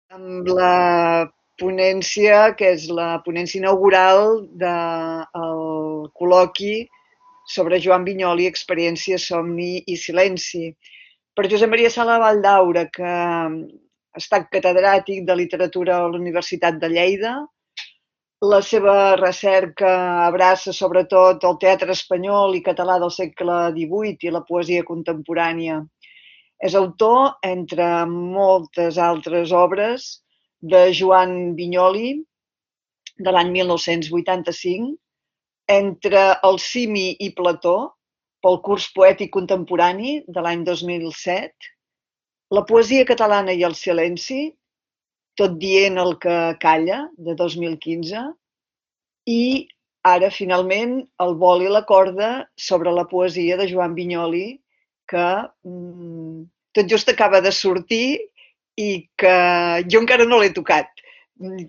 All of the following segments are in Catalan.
amb la ponència, que és la ponència inaugural del col·loqui sobre Joan Vinyoli, Experiència, Somni i Silenci. Per Josep Maria Sala Valldaura, que ha estat catedràtic de literatura a la Universitat de Lleida. La seva recerca abraça sobretot el teatre espanyol i català del segle XVIII i la poesia contemporània. És autor, entre moltes altres obres, de Joan Vinyoli, de l'any 1985, entre el Simi i Plató, pel curs poètic contemporani de l'any 2007, la poesia catalana i el silenci, tot dient el que calla, de 2015, i ara, finalment, el vol i la corda sobre la poesia de Joan Vinyoli, que tot just acaba de sortir i que jo encara no l'he tocat,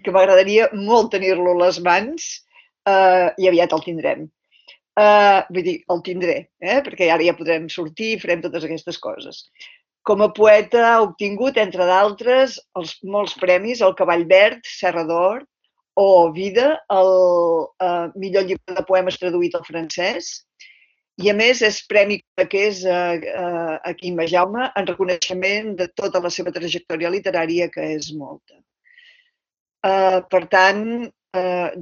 que m'agradaria molt tenir-lo a les mans i aviat el tindrem. Vull dir, el tindré, perquè ara ja podrem sortir i farem totes aquestes coses. Com a poeta ha obtingut, entre d'altres, molts premis, el Cavall Verd, Serra d'Or, o Vida, el millor llibre de poemes traduït al francès, i a més és Premi Cadaqués a Quim Jaume en reconeixement de tota la seva trajectòria literària, que és molta. Per tant,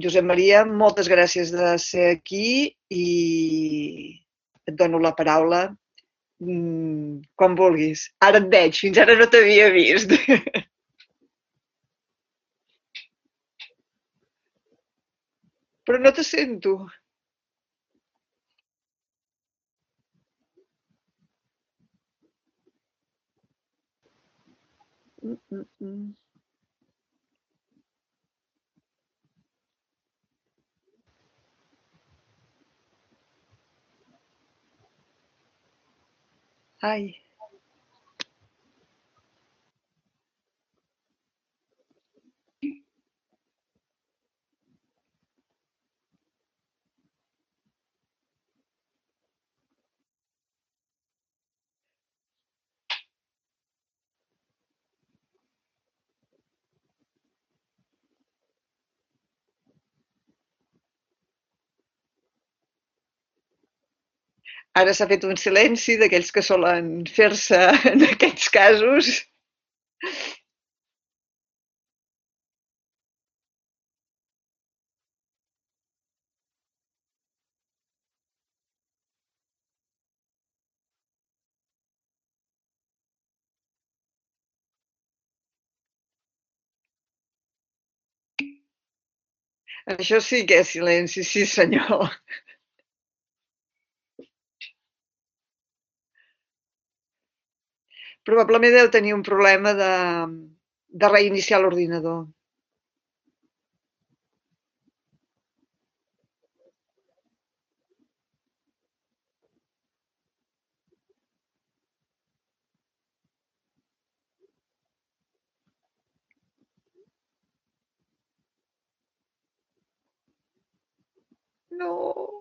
Josep Maria, moltes gràcies de ser aquí i et dono la paraula quan vulguis. Ara et veig, fins ara no t'havia vist. Però no te sento. Ai. Ara s'ha fet un silenci d'aquells que solen fer-se en aquests casos. Això sí que és silenci, sí senyor. Probablement deu tenir un problema de reiniciar l'ordinador. No.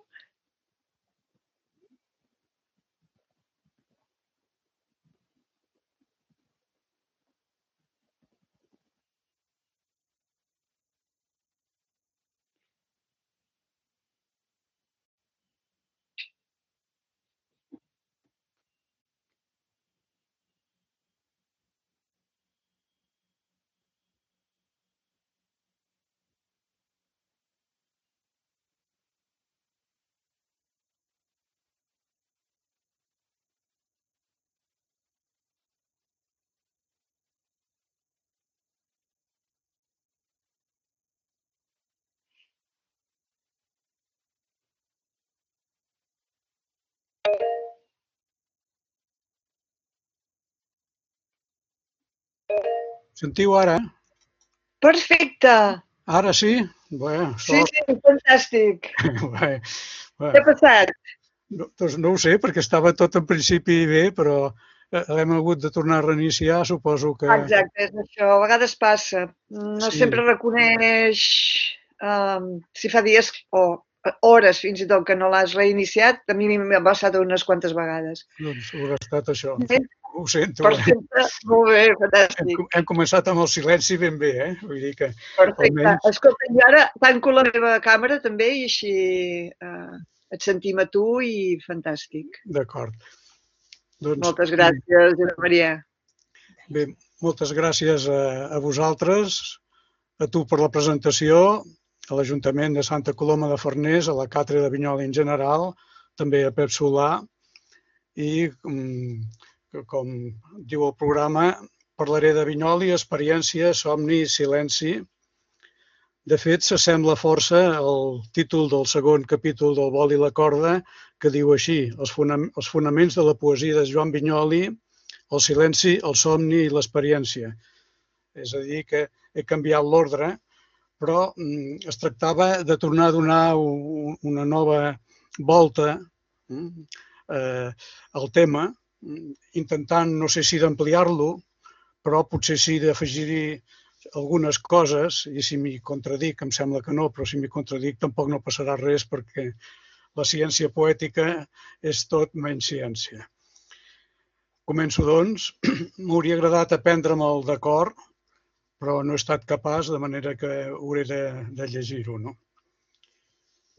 Sentiu ara? Perfecte. Ara sí? Bé, Sí, sí, fantàstic. Bé, Què ha passat? doncs no ho sé, perquè estava tot en principi bé, però l'hem hagut de tornar a reiniciar, suposo que... Exacte, és això. A vegades passa. No Sí, sempre reconeix si fa dies o hores fins i tot que no l'has reiniciat, a mi m'ha passat unes quantes vegades. Doncs haurà estat això. Bé, Ho sento. perfecte, molt bé, fantàstic. Hem començat amb el silenci ben bé, eh? Vull dir que Perfecte. almenys... Escolta, jo ara tanco la meva càmera també i així et sentim a tu i fantàstic. D'acord. Doncs, Moltes gràcies, Josep Maria. bé, moltes gràcies a vosaltres, a tu per la presentació, a l'Ajuntament de Santa Coloma de Farners, a la Càtedra de Vinyoli en general, també a Pep Solà i, com diu el programa, parlaré de vinyoli, experiència, somni i silenci. De fet, s'assembla força al títol del segon capítol del Vol i la corda, que diu així: els fonaments de la poesia de Joan Vinyoli, el silenci, el somni i l'experiència. És a dir, que he canviat l'ordre, però es tractava de tornar a donar una nova volta al tema, intentant, no sé si d'ampliar-lo, però potser sí d'afegir-hi algunes coses, i si m'hi contradic, em sembla que no, però si m'hi contradic tampoc no passarà res, perquè la ciència poètica és tot menys ciència. Començo, doncs. M'hauria agradat aprendre'm de cor, però no he estat capaç, de manera que hauré de llegir-ho, no?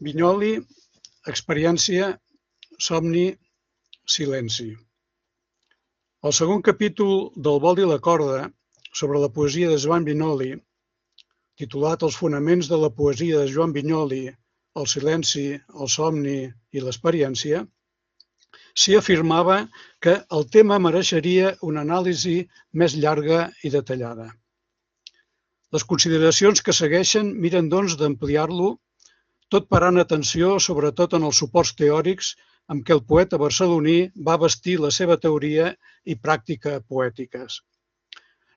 Vinyoli, experiència, somni, silenci. El segon capítol del Vol i la corda, sobre la poesia de Joan Vinyoli, titulat Els fonaments de la poesia de Joan Vinyoli, el silenci, el somni i l'experiència, s'hi afirmava que el tema mereixeria una anàlisi més llarga i detallada. Les consideracions que segueixen miren, doncs, d'ampliar-lo, tot parant atenció sobretot en els suports teòrics amb què el poeta barceloní va bastir la seva teoria i pràctica poètiques.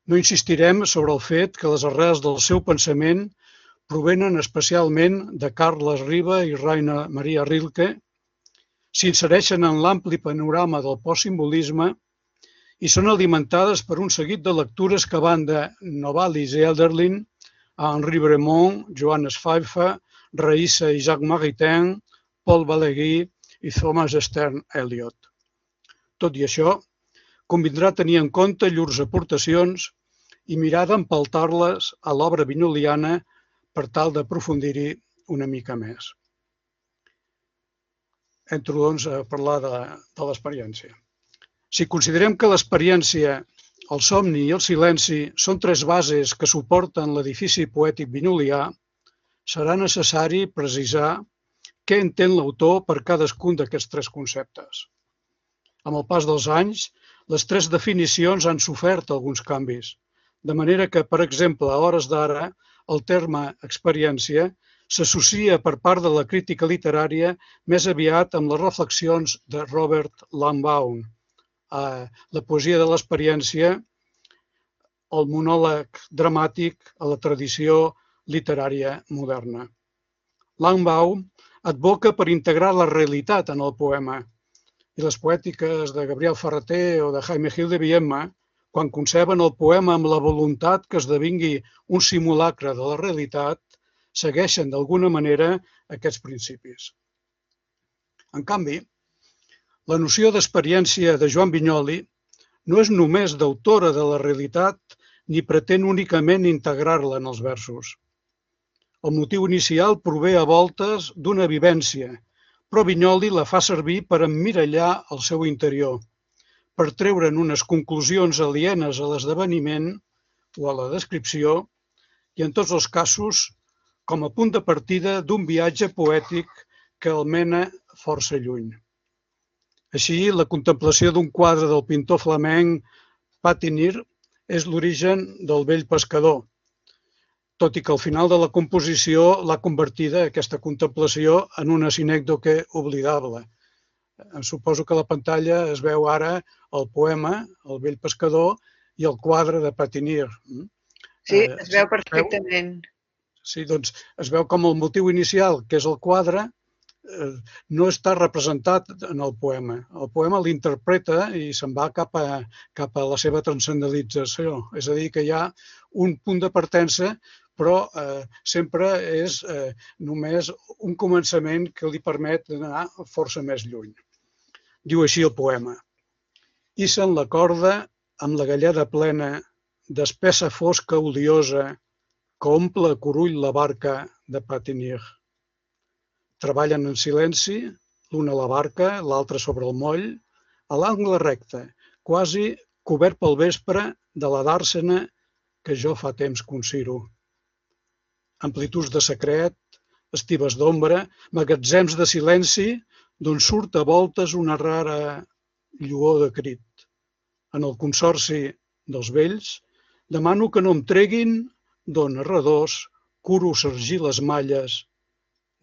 No insistirem sobre el fet que les arrels del seu pensament provenen especialment de Carles Riba i Rainer Maria Rilke, s'insereixen en l'ampli panorama del postsimbolisme i són alimentades per un seguit de lectures que van de Novalis i Hölderlin a Henri Bremont, Johannes Pfeiffer, Raïssa i Jacques Maritain, Paul Valéry i Thomas Stern Eliot. Tot i això, convindrà tenir en compte llurs aportacions i mirar d'empaltar-les a l'obra vinyoliana per tal d'aprofundir-hi una mica més. Entro, doncs, a parlar de l'experiència. Si considerem que l'experiència, el somni i el silenci són tres bases que suporten l'edifici poètic vinyolià, serà necessari precisar què entén l'autor per cadascun d'aquests tres conceptes. Amb el pas dels anys, les tres definicions han sofert alguns canvis, de manera que, per exemple, a hores d'ara, el terme experiència s'associa per part de la crítica literària més aviat amb les reflexions de Robert Langbaum, la poesia de l'experiència, el monòleg dramàtic a la tradició literària moderna. Langbaum advoca per integrar la realitat en el poema, i les poètiques de Gabriel Ferrater o de Jaime Gil de Biedma, quan conceben el poema amb la voluntat que esdevingui un simulacre de la realitat, segueixen d'alguna manera aquests principis. En canvi, la noció d'experiència de Joan Vinyoli no és només d'autora de la realitat ni pretén únicament integrar-la en els versos. El motiu inicial prové a voltes d'una vivència, però Vinyoli la fa servir per emmirallar el seu interior, per treure'n unes conclusions alienes a l'esdeveniment o a la descripció i, en tots els casos, com a punt de partida d'un viatge poètic que el mena força lluny. Així, la contemplació d'un quadre del pintor flamenc Patinir és l'origen del Vell pescador, tot i que al final de la composició l'ha convertida, aquesta contemplació, en una sinècdoque oblidable. Suposo que a la pantalla es veu ara el poema, El Vell pescador, i el quadre de Patinir. Sí, es veu perfectament. Sí, doncs es veu com el motiu inicial, que és el quadre, no està representat en el poema. El poema l'interpreta i se'n va cap a la seva transcendentalització. És a dir, que hi ha un punt de partença, però sempre és només un començament que li permet anar força més lluny. Diu així el poema: «Ixen la corda amb la galleda plena d'espessa fosca odiosa que omple a Curull la barca de Patinir. Treballen en silenci, l'un a la barca, l'altre sobre el moll, a l'angle recte, quasi cobert pel vespre de la dàrsena que jo fa temps considero. Amplituds de secret, estives d'ombra, magatzems de silenci, d'on surt a voltes una rara lluor de crit. En el consorci dels vells, demano que no em treguin d'on a redós curo sargir les malles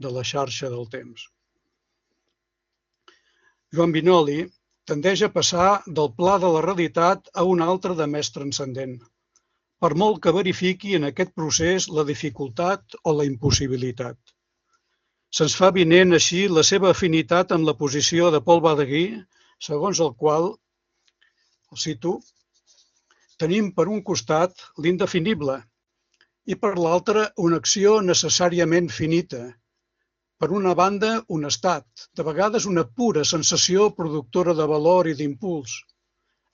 de la xarxa del temps». Joan Vinoli tendeix a passar del pla de la realitat a un altre de més transcendent, per molt que verifiqui en aquest procés la dificultat o la impossibilitat. Se'ns fa avinent així la seva afinitat amb la posició de Paul Balaguer, segons el qual, el cito, «tenim per un costat l'indefinible i per l'altre una acció necessàriament finita. Per una banda, un estat, de vegades una pura sensació productora de valor i d'impuls,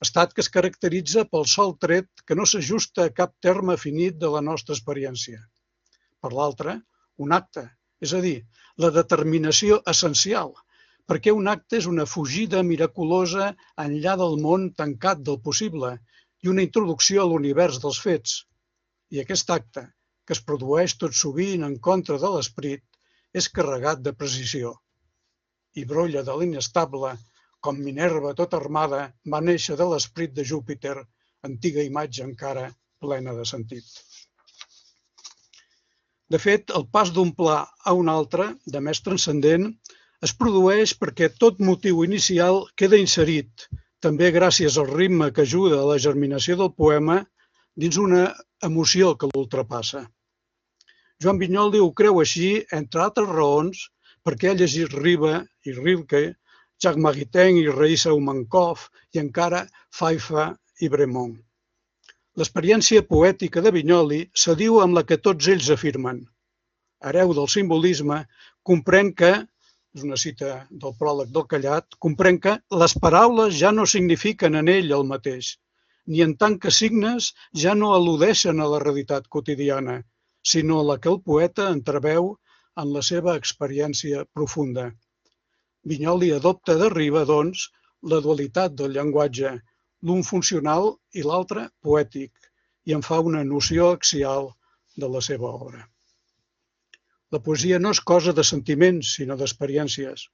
estat que es caracteritza pel sol tret que no s'ajusta a cap terme finit de la nostra experiència. Per l'altre, un acte, és a dir, la determinació essencial, perquè un acte és una fugida miraculosa enllà del món tancat del possible i una introducció a l'univers dels fets. I aquest acte, que es produeix tot sovint en contra de l'esperit, és carregat de precisió. I brolla de l'inestable, com Minerva tota armada va néixer de l'esperit de Júpiter, antiga imatge encara plena de sentit. De fet, el pas d'un pla a un altre, de més transcendent, es produeix perquè tot motiu inicial queda inserit, també gràcies al ritme que ajuda a la germinació del poema, dins una emoció que l'ultrapassa. Joan Vinoli ho creu així, entre altres raons, perquè ha llegit Riba i Rilke, Jacques Maritain i Raïssa Umankov i encara Pfeiffer i Bremont. L'experiència poètica de Vinoli s'adiu amb la que tots ells afirmen. Hereu del simbolisme, comprèn que, és una cita del pròleg del Callat, comprèn que les paraules ja no signifiquen en ell el mateix, ni en tant que signes ja no al·ludeixen a la realitat quotidiana, sinó la que el poeta entreveu en la seva experiència profunda. Vinoli adopta de Riba, doncs, la dualitat del llenguatge, l'un funcional i l'altre poètic, i en fa una noció axial de la seva obra. La poesia no és cosa de sentiments, sinó d'experiències.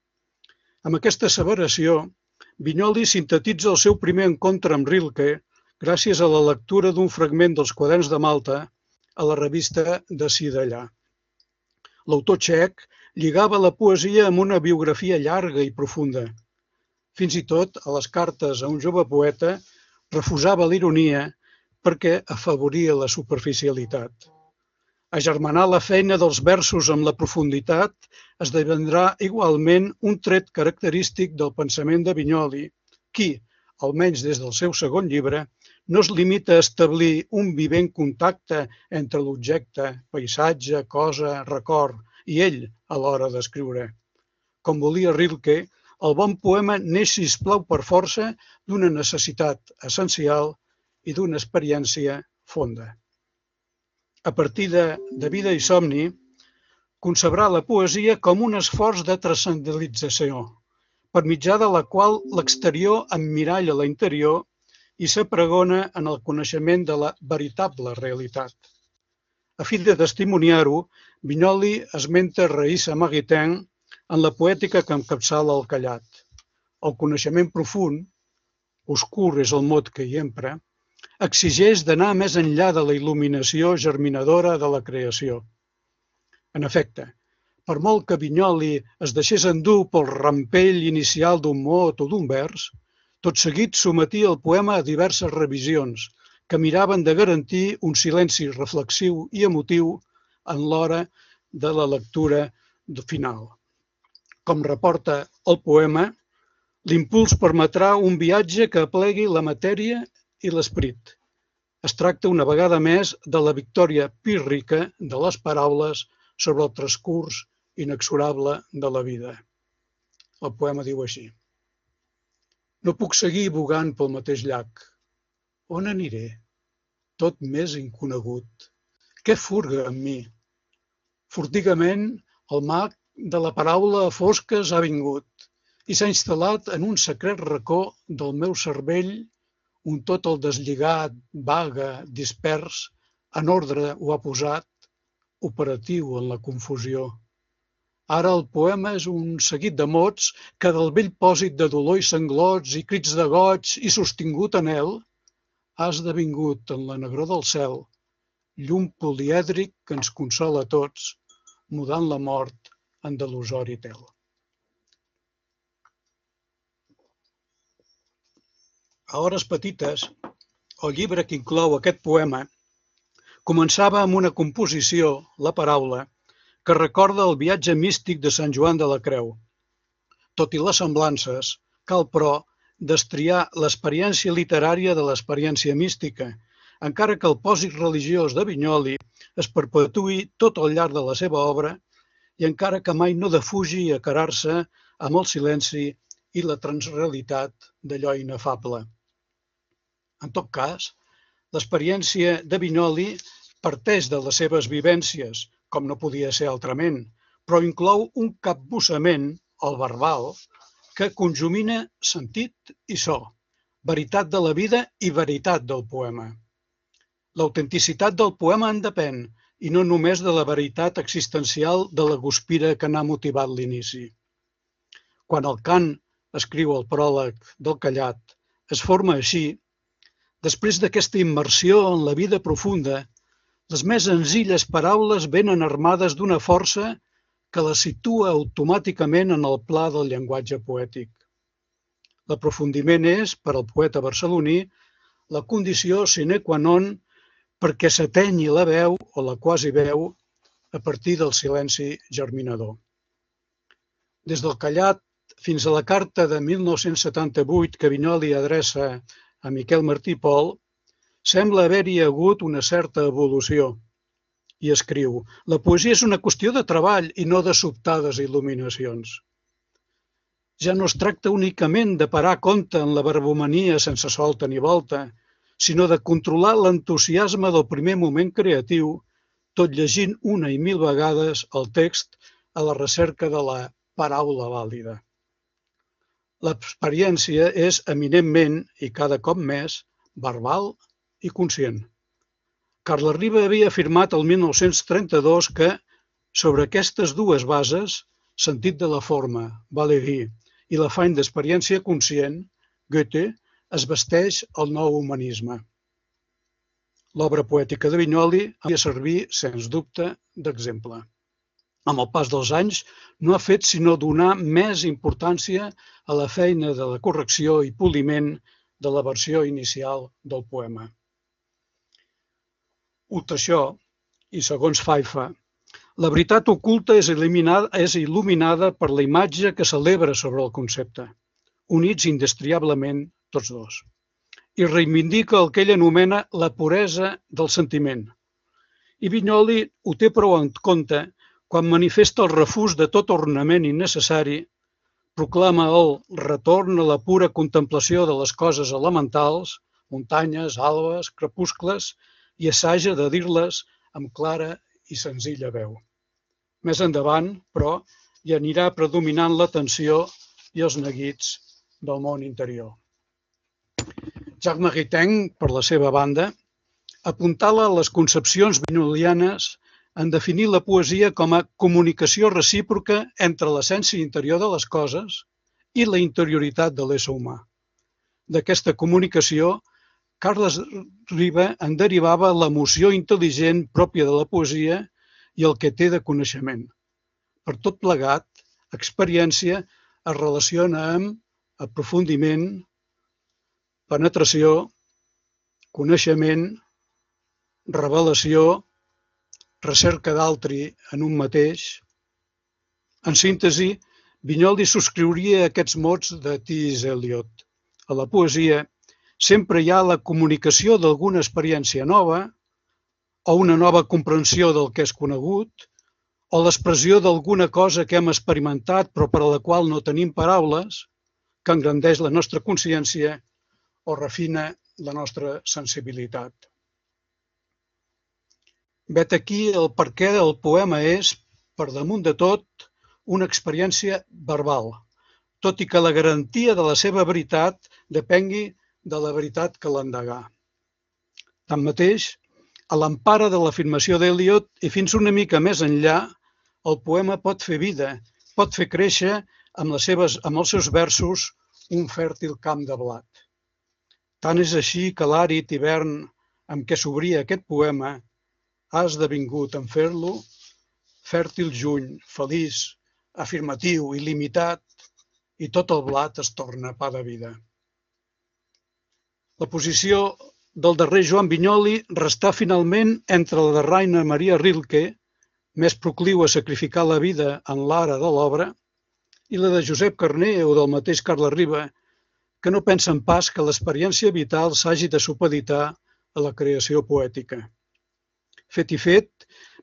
Amb aquesta asseveració, Vinoli sintetitza el seu primer encontre amb Rilke gràcies a la lectura d'un fragment dels Quaderns de Malta a la revista d'Ací d'allà. L'autor txec lligava la poesia amb una biografia llarga i profunda. Fins i tot, a les cartes a un jove poeta, refusava l'ironia perquè afavoria la superficialitat. Agermanar la feina dels versos amb la profunditat esdevindrà igualment un tret característic del pensament de Vinoli, qui, almenys des del seu segon llibre, no es limita a establir un vivent contacte entre l'objecte, paisatge, cosa, record i ell a l'hora d'escriure. Com volia Rilke, el bon poema neix, sisplau, per força d'una necessitat essencial i d'una experiència fonda. A partir de Vida i somni, concebrà la poesia com un esforç de transcendentalització, per mitjà de la qual l'exterior emmiralla l'interior i s'apregona en el coneixement de la veritable realitat. A fi de testimoniar-ho, Vinoli esmenta Raïssa Maritain en la poètica que encapçala el Callat. El coneixement profund, oscur és el mot que hi empra, exigeix d'anar més enllà de la il·luminació germinadora de la creació. En efecte, per molt que Vinoli es deixés endur pel rampell inicial d'un mot o d'un vers, tot seguit sometia el poema a diverses revisions que miraven de garantir un silenci reflexiu i emotiu en l'hora de la lectura final. Com reporta el poema, l'impuls permetrà un viatge que aplegui la matèria i l'esperit, Es tracta una vegada més de la victòria pírrica de les paraules sobre el transcurs inexorable de la vida. El poema diu així: no puc seguir bogant pel mateix llac. On aniré? Tot més inconegut. Què furga amb mi? Furtigament, el mag de la paraula a fosques ha vingut i s'ha instal·lat en un secret racó del meu cervell, un tot el deslligat, vaga, dispers, en ordre ho ha posat, operatiu en la confusió. Ara el poema és un seguit de mots que del vell pòsit de dolor i sanglots i crits de goig i sostingut anhel ha esdevingut en la negror del cel llum polièdric que ens consola a tots, mudant la mort en delusori tel. A hores petites, el llibre que inclou aquest poema començava amb una composició, la paraula, que recorda el viatge místic de Sant Joan de la Creu. Tot i les semblances, cal, però, destriar l'experiència literària de l'experiència mística, encara que el pòsit religiós de Vinyoli es perpetuï tot al llarg de la seva obra i encara que mai no defugi acarar-se amb el silenci i la transrealitat d'allò inefable. En tot cas, l'experiència de Vinyoli parteix de les seves vivències, com no podia ser altrament, però inclou un capbussament, el verbal, que conjumina sentit i so, veritat de la vida i veritat del poema. L'autenticitat del poema en depèn, i no només de la veritat existencial de la guspira que n'ha motivat l'inici. Quan el cant escriu el pròleg del callat, es forma així, després d'aquesta immersió en la vida profunda, les més senzilles paraules venen armades d'una força que les situa automàticament en el pla del llenguatge poètic. L'aprofundiment és, per al poeta barceloní, la condició sine qua non perquè s'atenyi la veu o la quasi veu a partir del silenci germinador. Des del callat fins a la carta de 1978 que Vinyoli adreça a Miquel Martí i Pol, sembla haver-hi hagut una certa evolució. I escriu: la poesia és una qüestió de treball i no de sobtades il·luminacions. Ja no es tracta únicament de parar compte en la verbomania sense solta ni volta, sinó de controlar l'entusiasme del primer moment creatiu, tot llegint una i mil vegades el text a la recerca de la paraula vàlida. L'experiència és eminentment, i cada cop més, verbal i conscient. Carles Riba havia afirmat el 1932 que, sobre aquestes dues bases, sentit de la forma, vale dir, i l'afany d'experiència conscient, Goethe es vesteix el nou humanisme. L'obra poètica de Vinyoli ha de servir, sens dubte, d'exemple. Amb el pas dels anys, no ha fet sinó donar més importància a la feina de la correcció i poliment de la versió inicial del poema. Ut això, i segons Faifa, la veritat oculta és il·luminada per la imatge que celebra sobre el concepte, units indestriablement tots dos, i reivindica el que ell anomena la puresa del sentiment. I Vinyoli ho té prou en compte quan manifesta el refús de tot ornament innecessari, proclama el retorn a la pura contemplació de les coses elementals, muntanyes, albes, crepuscles, i assaja de dir-les amb clara i senzilla veu. Més endavant, però, hi anirà predominant la tensió i els neguits del món interior. Jacques Maritain, per la seva banda, apuntala les concepcions vinyolianes en definir la poesia com a comunicació recíproca entre l'essència interior de les coses i la interioritat de l'ésser humà. D'aquesta comunicació, Carles Riba en derivava l'emoció intel·ligent pròpia de la poesia i el que té de coneixement. Per tot plegat, experiència es relaciona amb aprofundiment, penetració, coneixement, revelació, recerca d'altri en un mateix. En síntesi, Vinyoli subscriuria aquests mots de T.S. Eliot. A la poesia sempre hi ha la comunicació d'alguna experiència nova, o una nova comprensió del que és conegut, o l'expressió d'alguna cosa que hem experimentat però per a la qual no tenim paraules, que engrandeix la nostra consciència o refina la nostra sensibilitat. Vet aquí el perquè el poema és, per damunt de tot, una experiència verbal, tot i que la garantia de la seva veritat depengui de la veritat que l'endegà. Tanmateix, a l'empara de l'afirmació d'Eliot i fins una mica més enllà, el poema pot fer vida, pot fer créixer amb els seus versos un fèrtil camp de blat. Tant és així que l'àrid hivern amb què s'obria aquest poema ha esdevingut en fer-lo fèrtil juny, feliç, afirmatiu, il·limitat, i tot el blat es torna pa de vida. La posició del darrer Joan Vinyoli restà finalment entre la de Rainer Maria Rilke, més procliu a sacrificar la vida en l'ara de l'obra, i la de Josep Carner o del mateix Carles Riba, que no pensen pas que l'experiència vital s'hagi de supeditar a la creació poètica. Fet i fet,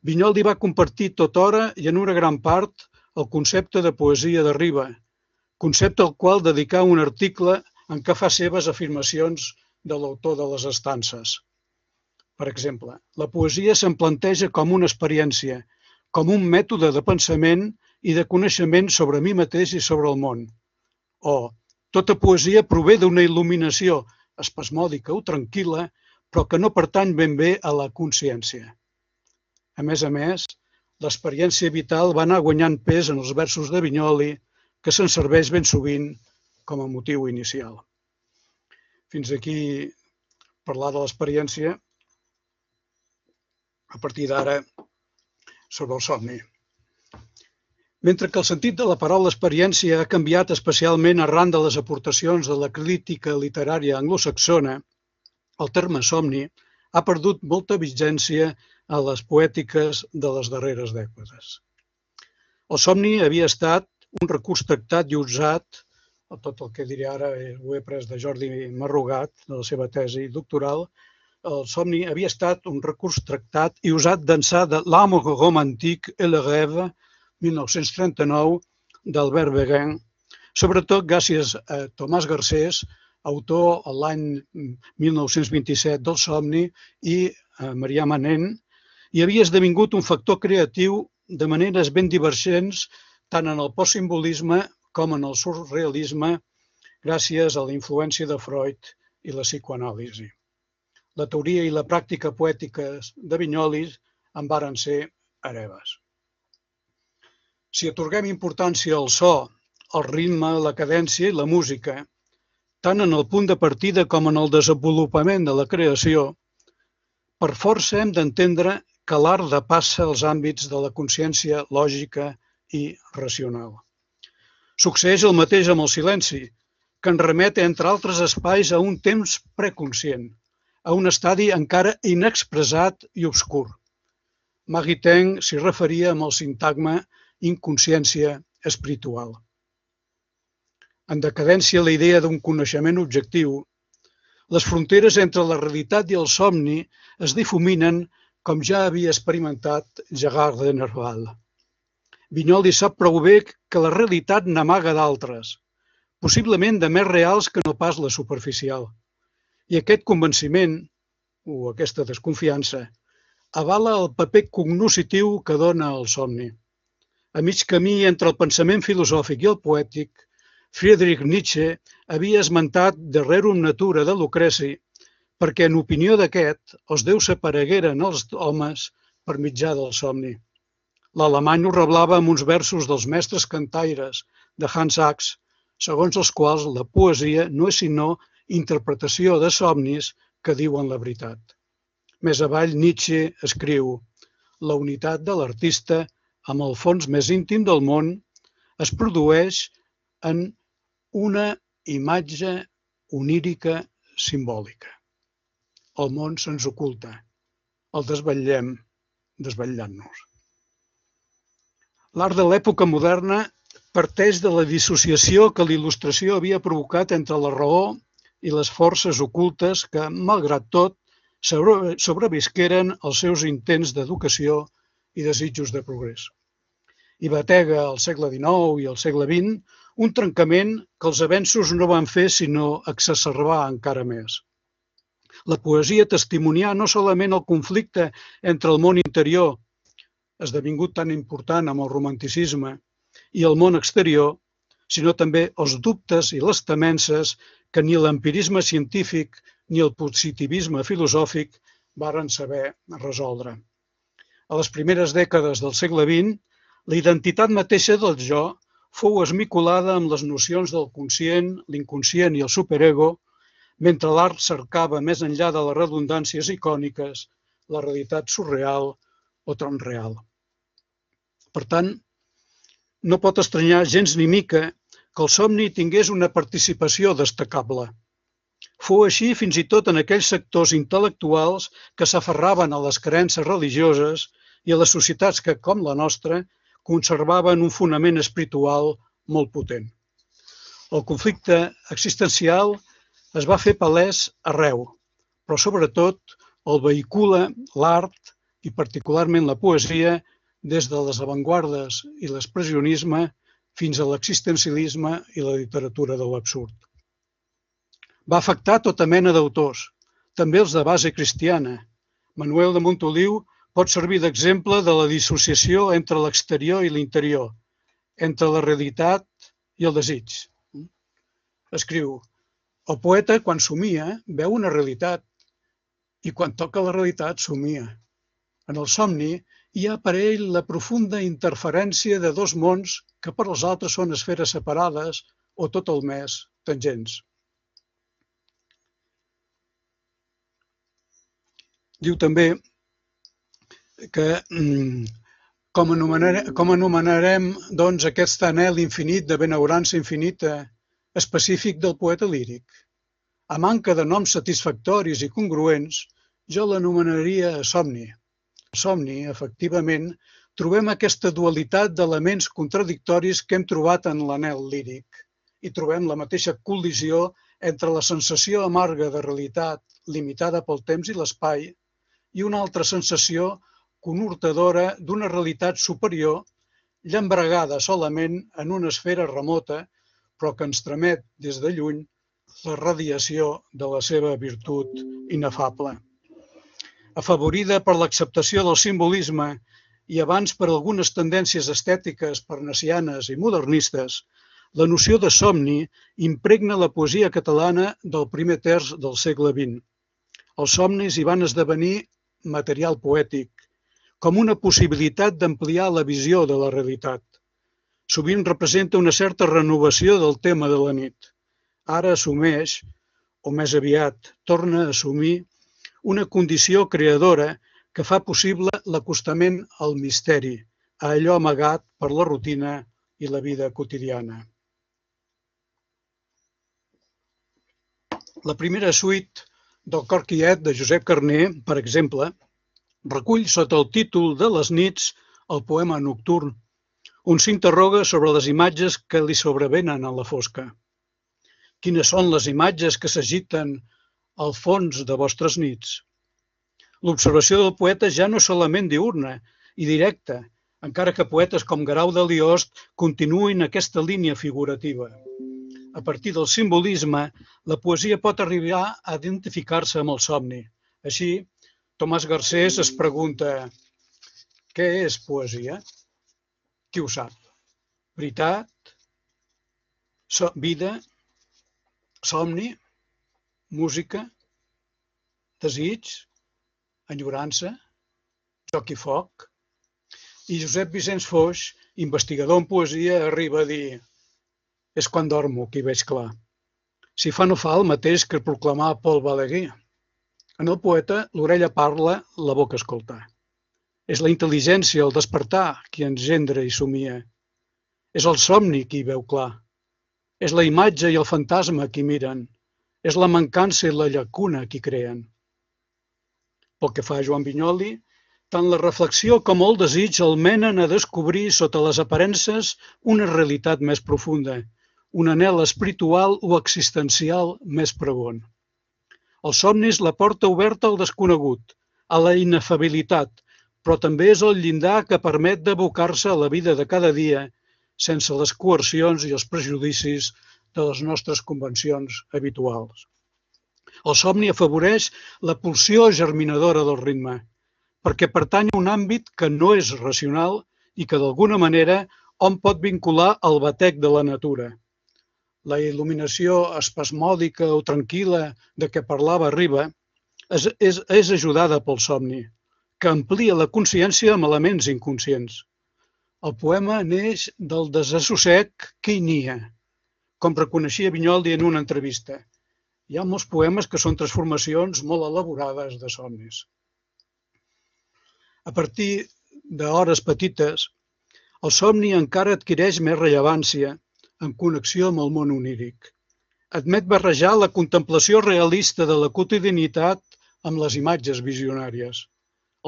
Vinyoli va compartir tothora i en una gran part el concepte de poesia de Riba, concepte al qual dedicà un article en què fa seves afirmacions de l'autor de les estances. Per exemple, la poesia se'm planteja com una experiència, com un mètode de pensament i de coneixement sobre mi mateix i sobre el món. O, tota poesia prové d'una il·luminació espasmòdica o tranquil·la, però que no pertany ben bé a la consciència. A més, l'experiència vital va anar guanyant pes en els versos de Vinyoli, que se'n serveix ben sovint com a motiu inicial. Fins aquí parlar de l'experiència, a partir d'ara sobre el somni. Mentre que el sentit de la paraula experiència ha canviat especialment arran de les aportacions de la crítica literària anglosaxona, el terme somni ha perdut molta vigència a les poètiques de les darreres dècades. El somni havia estat un recurs tractat i usat, tot el que diré ara ho he pres de Jordi Marrugat, de la seva tesi doctoral, el somni havia estat un recurs tractat i usat d'ençà de L'amour romantique et le rêve, 1939, d'Albert Béguin, sobretot gràcies a Tomàs Garcés, autor l'any 1927 del somni, i a Marià Manent, i havia esdevingut un factor creatiu de maneres ben divergents tant en el postsimbolisme com en el surrealisme, gràcies a la influència de Freud i la psicoanàlisi. La teoria i la pràctica poètiques de Vinyoli en varen ser hereves. Si atorguem importància al so, al ritme, la cadència i la música, tant en el punt de partida com en el desenvolupament de la creació, per força hem d'entendre que l'art depassa els àmbits de la consciència lògica i racional. Succeeix el mateix amb el silenci, que ens remet, entre altres espais, a un temps preconscient, a un estadi encara inexpressat i obscur. Maritain s'hi referia amb el sintagma inconsciència espiritual. En decadència la idea d'un coneixement objectiu, les fronteres entre la realitat i el somni es difuminen com ja havia experimentat Gérard de Nerval. Vinyoli sap prou bé que la realitat n'amaga d'altres, possiblement de més reals que no pas la superficial. I aquest convenciment, o aquesta desconfiança, avala el paper cognoscitiu que dona el somni. A mig camí entre el pensament filosòfic i el poètic, Friedrich Nietzsche havia esmentat De rerum natura de Lucreci perquè, en opinió d'aquest, els déus s'aparegueren als homes per mitjà del somni. L'alemany ho reblava amb uns versos dels mestres cantaires de Hans Sachs, segons els quals la poesia no és sinó interpretació de somnis que diuen la veritat. Més avall, Nietzsche escriu: la unitat de l'artista amb el fons més íntim del món es produeix en una imatge onírica simbòlica. El món se'ns oculta, el desvetllem desvetllant-nos. L'art de l'època moderna parteix de la dissociació que la il·lustració havia provocat entre la raó i les forces ocultes que, malgrat tot, sobrevisqueren als seus intents d'educació i desitjos de progrés. I batega al segle XIX i al segle XX un trencament que els avenços no van fer sinó exacerbar encara més. La poesia testimonià no solament el conflicte entre el món interior, esdevingut tan important amb el romanticisme, i el món exterior, sinó també els dubtes i les temences que ni l'empirisme científic ni el positivisme filosòfic varen saber resoldre. A les primeres dècades del segle XX, la identitat mateixa del jo fou esmicolada amb les nocions del conscient, l'inconscient i el superego, mentre l'art cercava més enllà de les redundàncies icòniques la realitat surreal o transreal. Per tant, no pot estranyar gens ni mica que el somni tingués una participació destacable. Fou així fins i tot en aquells sectors intel·lectuals que s'aferraven a les creences religioses i a les societats que, com la nostra, conservaven un fonament espiritual molt potent. El conflicte existencial es va fer palès arreu, però sobretot el vehicula l'art i particularment la poesia des de les avantguardes i l'expressionisme fins a l'existencialisme i la literatura de l'absurd. Va afectar tota mena d'autors, també els de base cristiana. Manuel de Montoliu pot servir d'exemple de la dissociació entre l'exterior i l'interior, entre la realitat i el desig. Escriu: el poeta, quan somia, veu una realitat i quan toca la realitat, somia. En el somni hi ha per ell la profunda interferència de dos mons que per als altres són esferes separades o tot el més tangents. Diu també que com anomenarem doncs, aquest anhel infinit de benaurança infinita específic del poeta líric. A manca de noms satisfactoris i congruents, jo l'anomenaria somni. A somni, efectivament, trobem aquesta dualitat d'elements contradictoris que hem trobat en l'anhel líric i trobem la mateixa col·lisió entre la sensació amarga de realitat limitada pel temps i l'espai i una altra sensació conhortadora d'una realitat superior llambregada solament en una esfera remota però que ens tramet des de lluny la radiació de la seva virtut inefable. Afavorida per l'acceptació del simbolisme i abans per algunes tendències estètiques parnassianes i modernistes, la noció de somni impregna la poesia catalana del primer terç del segle XX. Els somnis hi van esdevenir material poètic, com una possibilitat d'ampliar la visió de la realitat. Sovint representa una certa renovació del tema de la nit. Ara assumeix, o més aviat torna a assumir, una condició creadora que fa possible l'acostament al misteri, a allò amagat per la rutina i la vida quotidiana. La primera suite del Cor quiet de Josep Carner, per exemple, recull sota el títol de Les nits el poema nocturn, on s'interroga sobre les imatges que li sobrevenen a la fosca. Quines són les imatges que s'agiten al fons de vostres nits? L'observació del poeta ja no és solament diürna i directa, encara que poetes com Guerau de Liost continuïn aquesta línia figurativa. A partir del simbolisme, la poesia pot arribar a identificar-se amb el somni. Així, Tomàs Garcés es pregunta: què és poesia? Qui ho sap? Veritat? Vida? Somni? Música? Desig? Enyorança? Joc i foc? I Josep Vicenç Foix, investigador en poesia, arriba a dir: és quan dormo que hi veig clar. Si fa no fa el mateix que proclamar Paul Balaguer. En el poeta, l'orella parla, la boca escolta. És la intel·ligència, el despertar, qui engendra i somia. És el somni qui hi veu clar. És la imatge i el fantasma qui miren. És la mancança i la llacuna qui creen. Pel que fa a Joan Vinyoli, tant la reflexió com el desig el menen a descobrir sota les aparences una realitat més profunda, un anhel espiritual o existencial més pregon. Els somnis la porta oberta al desconegut, a la inefabilitat, però també és el llindar que permet d'abocar-se a la vida de cada dia sense les coercions i els prejudicis de les nostres convencions habituals. El somni afavoreix la pulsió germinadora del ritme, perquè pertany a un àmbit que no és racional i que d'alguna manera hom pot vincular al batec de la natura. La il·luminació espasmòdica o tranquil·la de què parlava Riba és ajudada pel somni, que amplia la consciència amb elements inconscients. El poema neix del desassossec que hi nia, com reconeixia Vinyoli en una entrevista. Hi ha molts poemes que són transformacions molt elaborades de somnis. A partir d'hores petites, el somni encara adquireix més rellevància en connexió amb el món oníric. Admet barrejar la contemplació realista de la quotidianitat amb les imatges visionàries.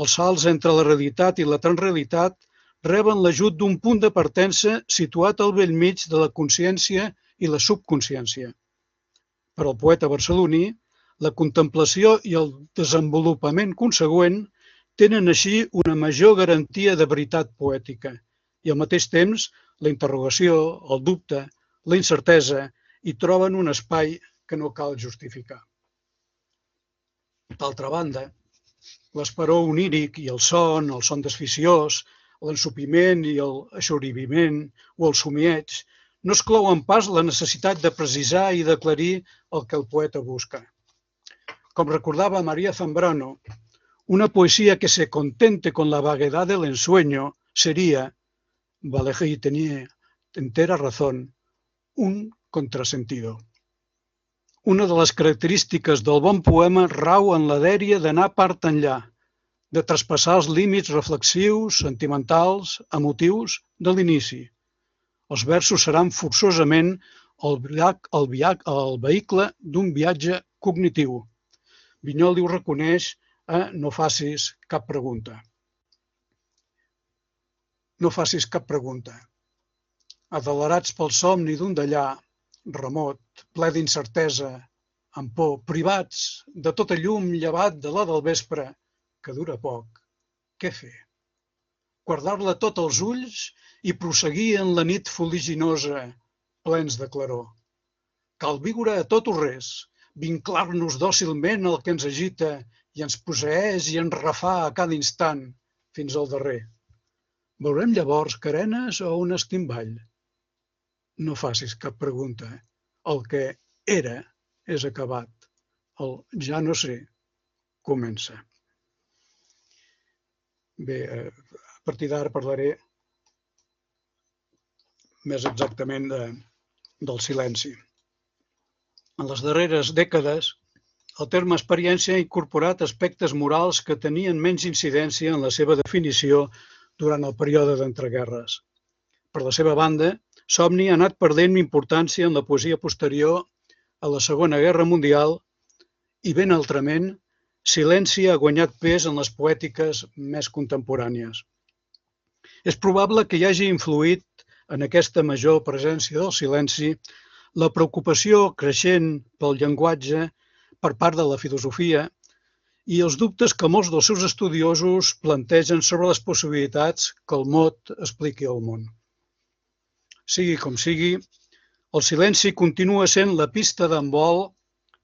Els salts entre la realitat i la transrealitat reben l'ajut d'un punt de partença situat al bell mig de la consciència i la subconsciència. Per al poeta barceloní, la contemplació i el desenvolupament consegüent tenen així una major garantia de veritat poètica i al mateix temps la interrogació, el dubte, la incertesa hi troben un espai que no cal justificar. D'altra banda, l'esperó oníric i el son desficiós, l'ensopiment i l'aixoriviment o el somieig no exclouen pas la necessitat de precisar i d'aclarir el que el poeta busca. Com recordava María Zambrano, una poesía que se contente con la vaguedad del ensueño sería, Vallejí tenía entera razón, un contrasentido. Una de les característiques del bon poema rau en la dèria d'anar part enllà, de traspassar els límits reflexius, sentimentals, emotius de l'inici. Els versos seran forçosament el vehicle d'un viatge cognitiu. Vinyoli ho reconeix a No facis cap pregunta. No facis cap pregunta. Adelerats pel somni d'un d'allà, remot, ple d'incertesa, amb por, privats de tota llum llevat de la del vespre, que dura poc, què fer? Guardar-la tot als ulls i prosseguir en la nit fuliginosa, plens de claror. Cal viure a tot o res, vinclar-nos dòcilment al que ens agita i ens posseeix i ens refà a cada instant, fins al darrer. Veurem llavors carenes o un estimball? No facis cap pregunta. El que era és acabat. El ja no sé comença. Bé, a partir d'ara parlaré més exactament del silenci. En les darreres dècades, el terme experiència ha incorporat aspectes morals que tenien menys incidència en la seva definició durant el període d'entreguerres. Per la seva banda, Somni ha anat perdent importància en la poesia posterior a la Segona Guerra Mundial i, ben altrament, Silenci ha guanyat pes en les poètiques més contemporànies. És probable que hi hagi influït en aquesta major presència del silenci la preocupació creixent pel llenguatge per part de la filosofia i els dubtes que molts dels seus estudiosos plantegen sobre les possibilitats que el mot expliqui al món. Sigui com sigui, el silenci continua sent la pista d'envol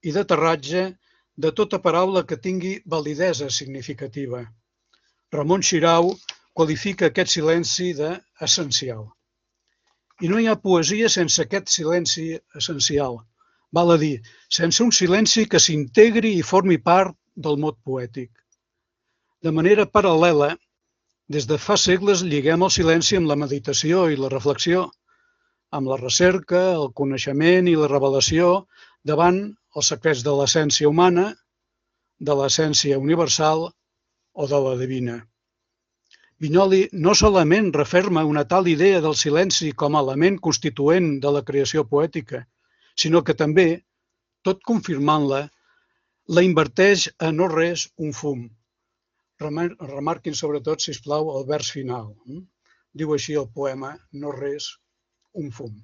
i d'aterratge de tota paraula que tingui validesa significativa. Ramon Xirau qualifica aquest silenci d'essencial. I no hi ha poesia sense aquest silenci essencial. Val a dir, sense un silenci que s'integri i formi part del mot poètic. De manera paral·lela, des de fa segles lliguem el silenci amb la meditació i la reflexió, amb la recerca, el coneixement i la revelació davant els secrets de l'essència humana, de l'essència universal o de la divina. Vinyoli no solament referma una tal idea del silenci com a element constituent de la creació poètica, sinó que també, tot confirmant-la, la inverteix a no res un fum. Remarquin sobretot, sisplau, el vers final. Diu així el poema, no res un fum.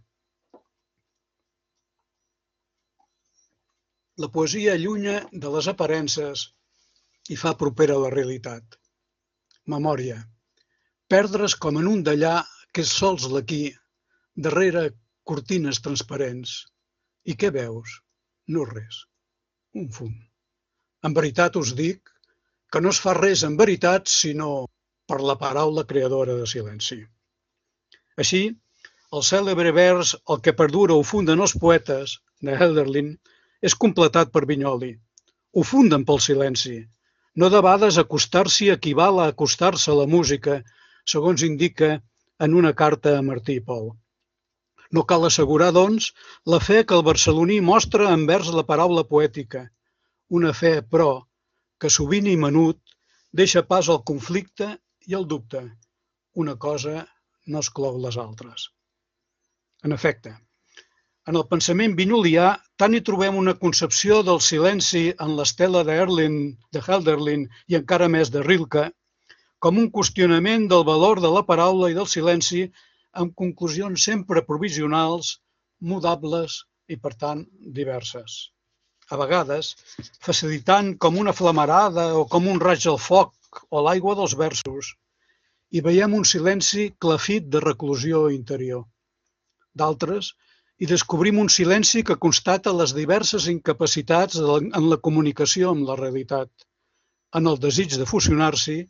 La poesia allunya de les aparences i fa propera a la realitat. Memòria. Perdre's com en un d'allà que és sols l'aquí, darrere cortines transparents. I què veus? No res. Un fum. En veritat us dic que no es fa res en veritat sinó per la paraula creadora de silenci. Així, el cèlebre vers «El que perdura ho funden els poetes» de Hölderlin és completat per Vinyoli. Ho funden pel silenci. No debades acostar-s'hi equival a acostar-se a la música, segons indica en una carta a Martí i Pol. No cal assegurar, doncs, la fe que el barceloní mostra envers la paraula poètica, una fe, però, que sovint i menut deixa pas al conflicte i al dubte. Una cosa no exclou les altres. En efecte, en el pensament vinyolià tant hi trobem una concepció del silenci en l'estela de Hölderlin i encara més de Rilke, com un qüestionament del valor de la paraula i del silenci amb conclusions sempre provisionals, mudables i, per tant, diverses. A vegades, facilitant com una flamarada o com un raig al foc o l'aigua dels versos, hi veiem un silenci clafit de reclusió interior. D'altres, hi descobrim un silenci que constata les diverses incapacitats en la comunicació amb la realitat, en el desig de fusionar-s'hi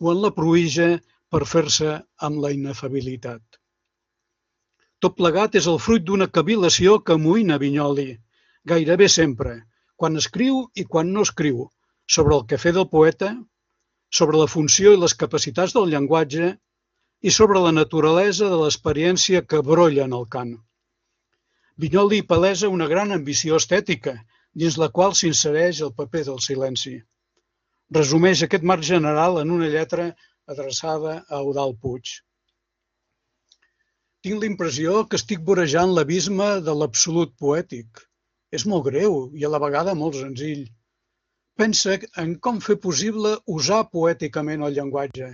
o en la pruïja per fer-se amb la inefabilitat. Tot plegat és el fruit d'una cavil·lació que amoïna Vinyoli, gairebé sempre, quan escriu i quan no escriu, sobre el quefer del poeta, sobre la funció i les capacitats del llenguatge i sobre la naturalesa de l'experiència que brolla en el cant. Vinyoli palesa una gran ambició estètica, dins la qual s'insereix el paper del silenci. Resumeix aquest marc general en una lletra adreçada a Eudald Puig. Tinc la impressió que estic vorejant l'abisme de l'absolut poètic. És molt greu i a la vegada molt senzill. Pensa en com fer possible usar poèticament el llenguatge.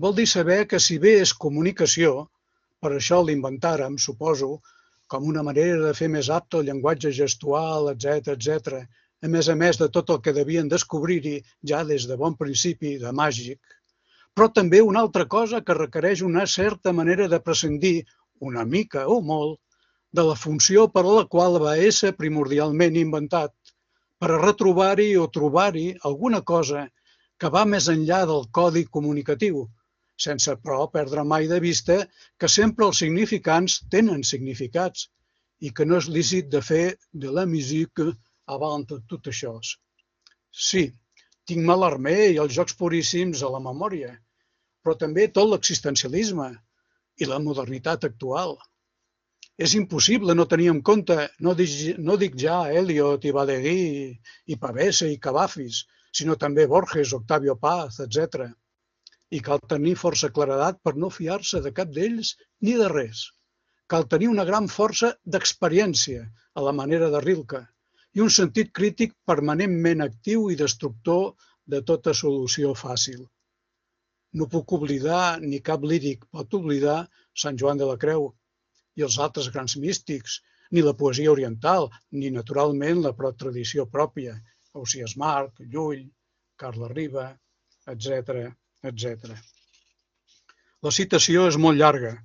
Vol dir saber que si bé és comunicació, per això l'inventàrem, suposo, com una manera de fer més apte el llenguatge gestual, etc., a més de tot el que devien descobrir-hi ja des de bon principi de màgic, però també una altra cosa que requereix una certa manera de prescindir, una mica o molt, de la funció per a la qual va ésser primordialment inventat, per a retrobar-hi o trobar-hi alguna cosa que va més enllà del codi comunicatiu, sense, però, perdre mai de vista que sempre els significants tenen significats i que no és lícit de fer de la musique avant tot això. Sí, tinc Mallarmé i els jocs puríssims a la memòria, però també tot l'existencialisme i la modernitat actual. És impossible no tenir en compte, no dic ja Eliot i Valéry i Pavese i Cavafis, sinó també Borges, Octavio Paz, etc. I cal tenir força claredat per no fiar-se de cap d'ells ni de res. Cal tenir una gran força d'experiència, a la manera de Rilke, i un sentit crític permanentment actiu i destructor de tota solució fàcil. No puc oblidar, ni cap líric pot oblidar, Sant Joan de la Creu i els altres grans místics, ni la poesia oriental, ni, naturalment, la tradició pròpia, Ausiàs Marc, Llull, Carles Riba, etc. La citació és molt llarga,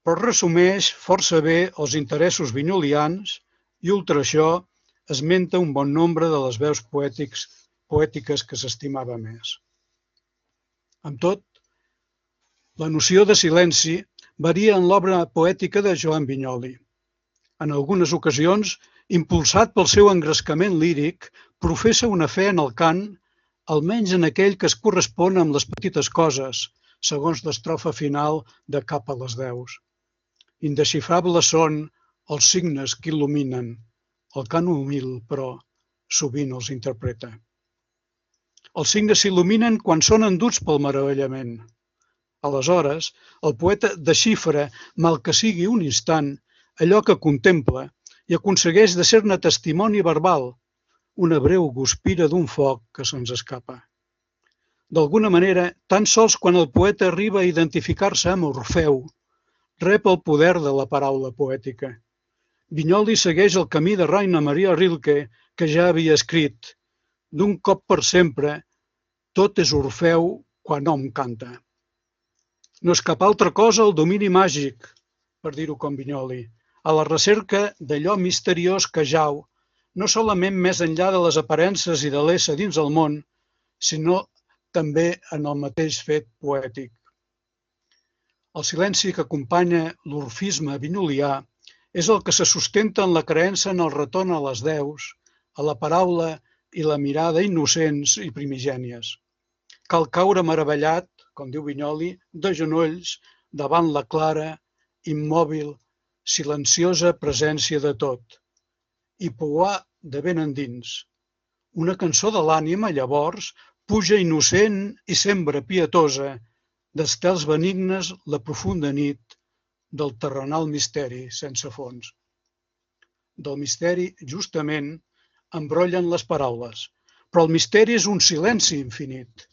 però resumeix força bé els interessos vinyolians i, ultra això, esmenta un bon nombre de les veus poètiques que s'estimava més. Amb tot, la noció de silenci varia en l'obra poètica de Joan Vinyoli. En algunes ocasions, impulsat pel seu engrescament líric, professa una fe en el cant, almenys en aquell que es correspon amb les petites coses, segons l'estrofa final de Cap a les 10. Indesxifrables són els signes que il·luminen. El cant humil, però, sovint els interpreta. Els signes s'il·luminen quan són enduts pel meravellament. Aleshores, el poeta desxifra, mal que sigui un instant, allò que contempla i aconsegueix de ser-ne testimoni verbal, una breu guspira d'un foc que se'ns escapa. D'alguna manera, tan sols quan el poeta arriba a identificar-se amb Orfeu, rep el poder de la paraula poètica. Vinyoli segueix el camí de Rainer Maria Rilke, que ja havia escrit: d'un cop per sempre, tot és Orfeu quan hom canta. No és cap altra cosa el domini màgic, per dir-ho com Vinyoli, a la recerca d'allò misteriós que jau, no solament més enllà de les aparences i de l'ésser dins el món, sinó també en el mateix fet poètic. El silenci que acompanya l'orfisme vinyolià és el que se sustenta en la creença en el retorn a les deus, a la paraula i la mirada innocents i primigènies. Cal caure meravellat, com diu Vinyoli, de genolls davant la clara, immòbil, silenciosa presència de tot, i pouar de ben endins. Una cançó de l'ànima, llavors, puja innocent i sembra pietosa, d'estels benignes la profunda nit del terrenal misteri sense fons. Del misteri, justament, embrollen les paraules, però el misteri és un silenci infinit.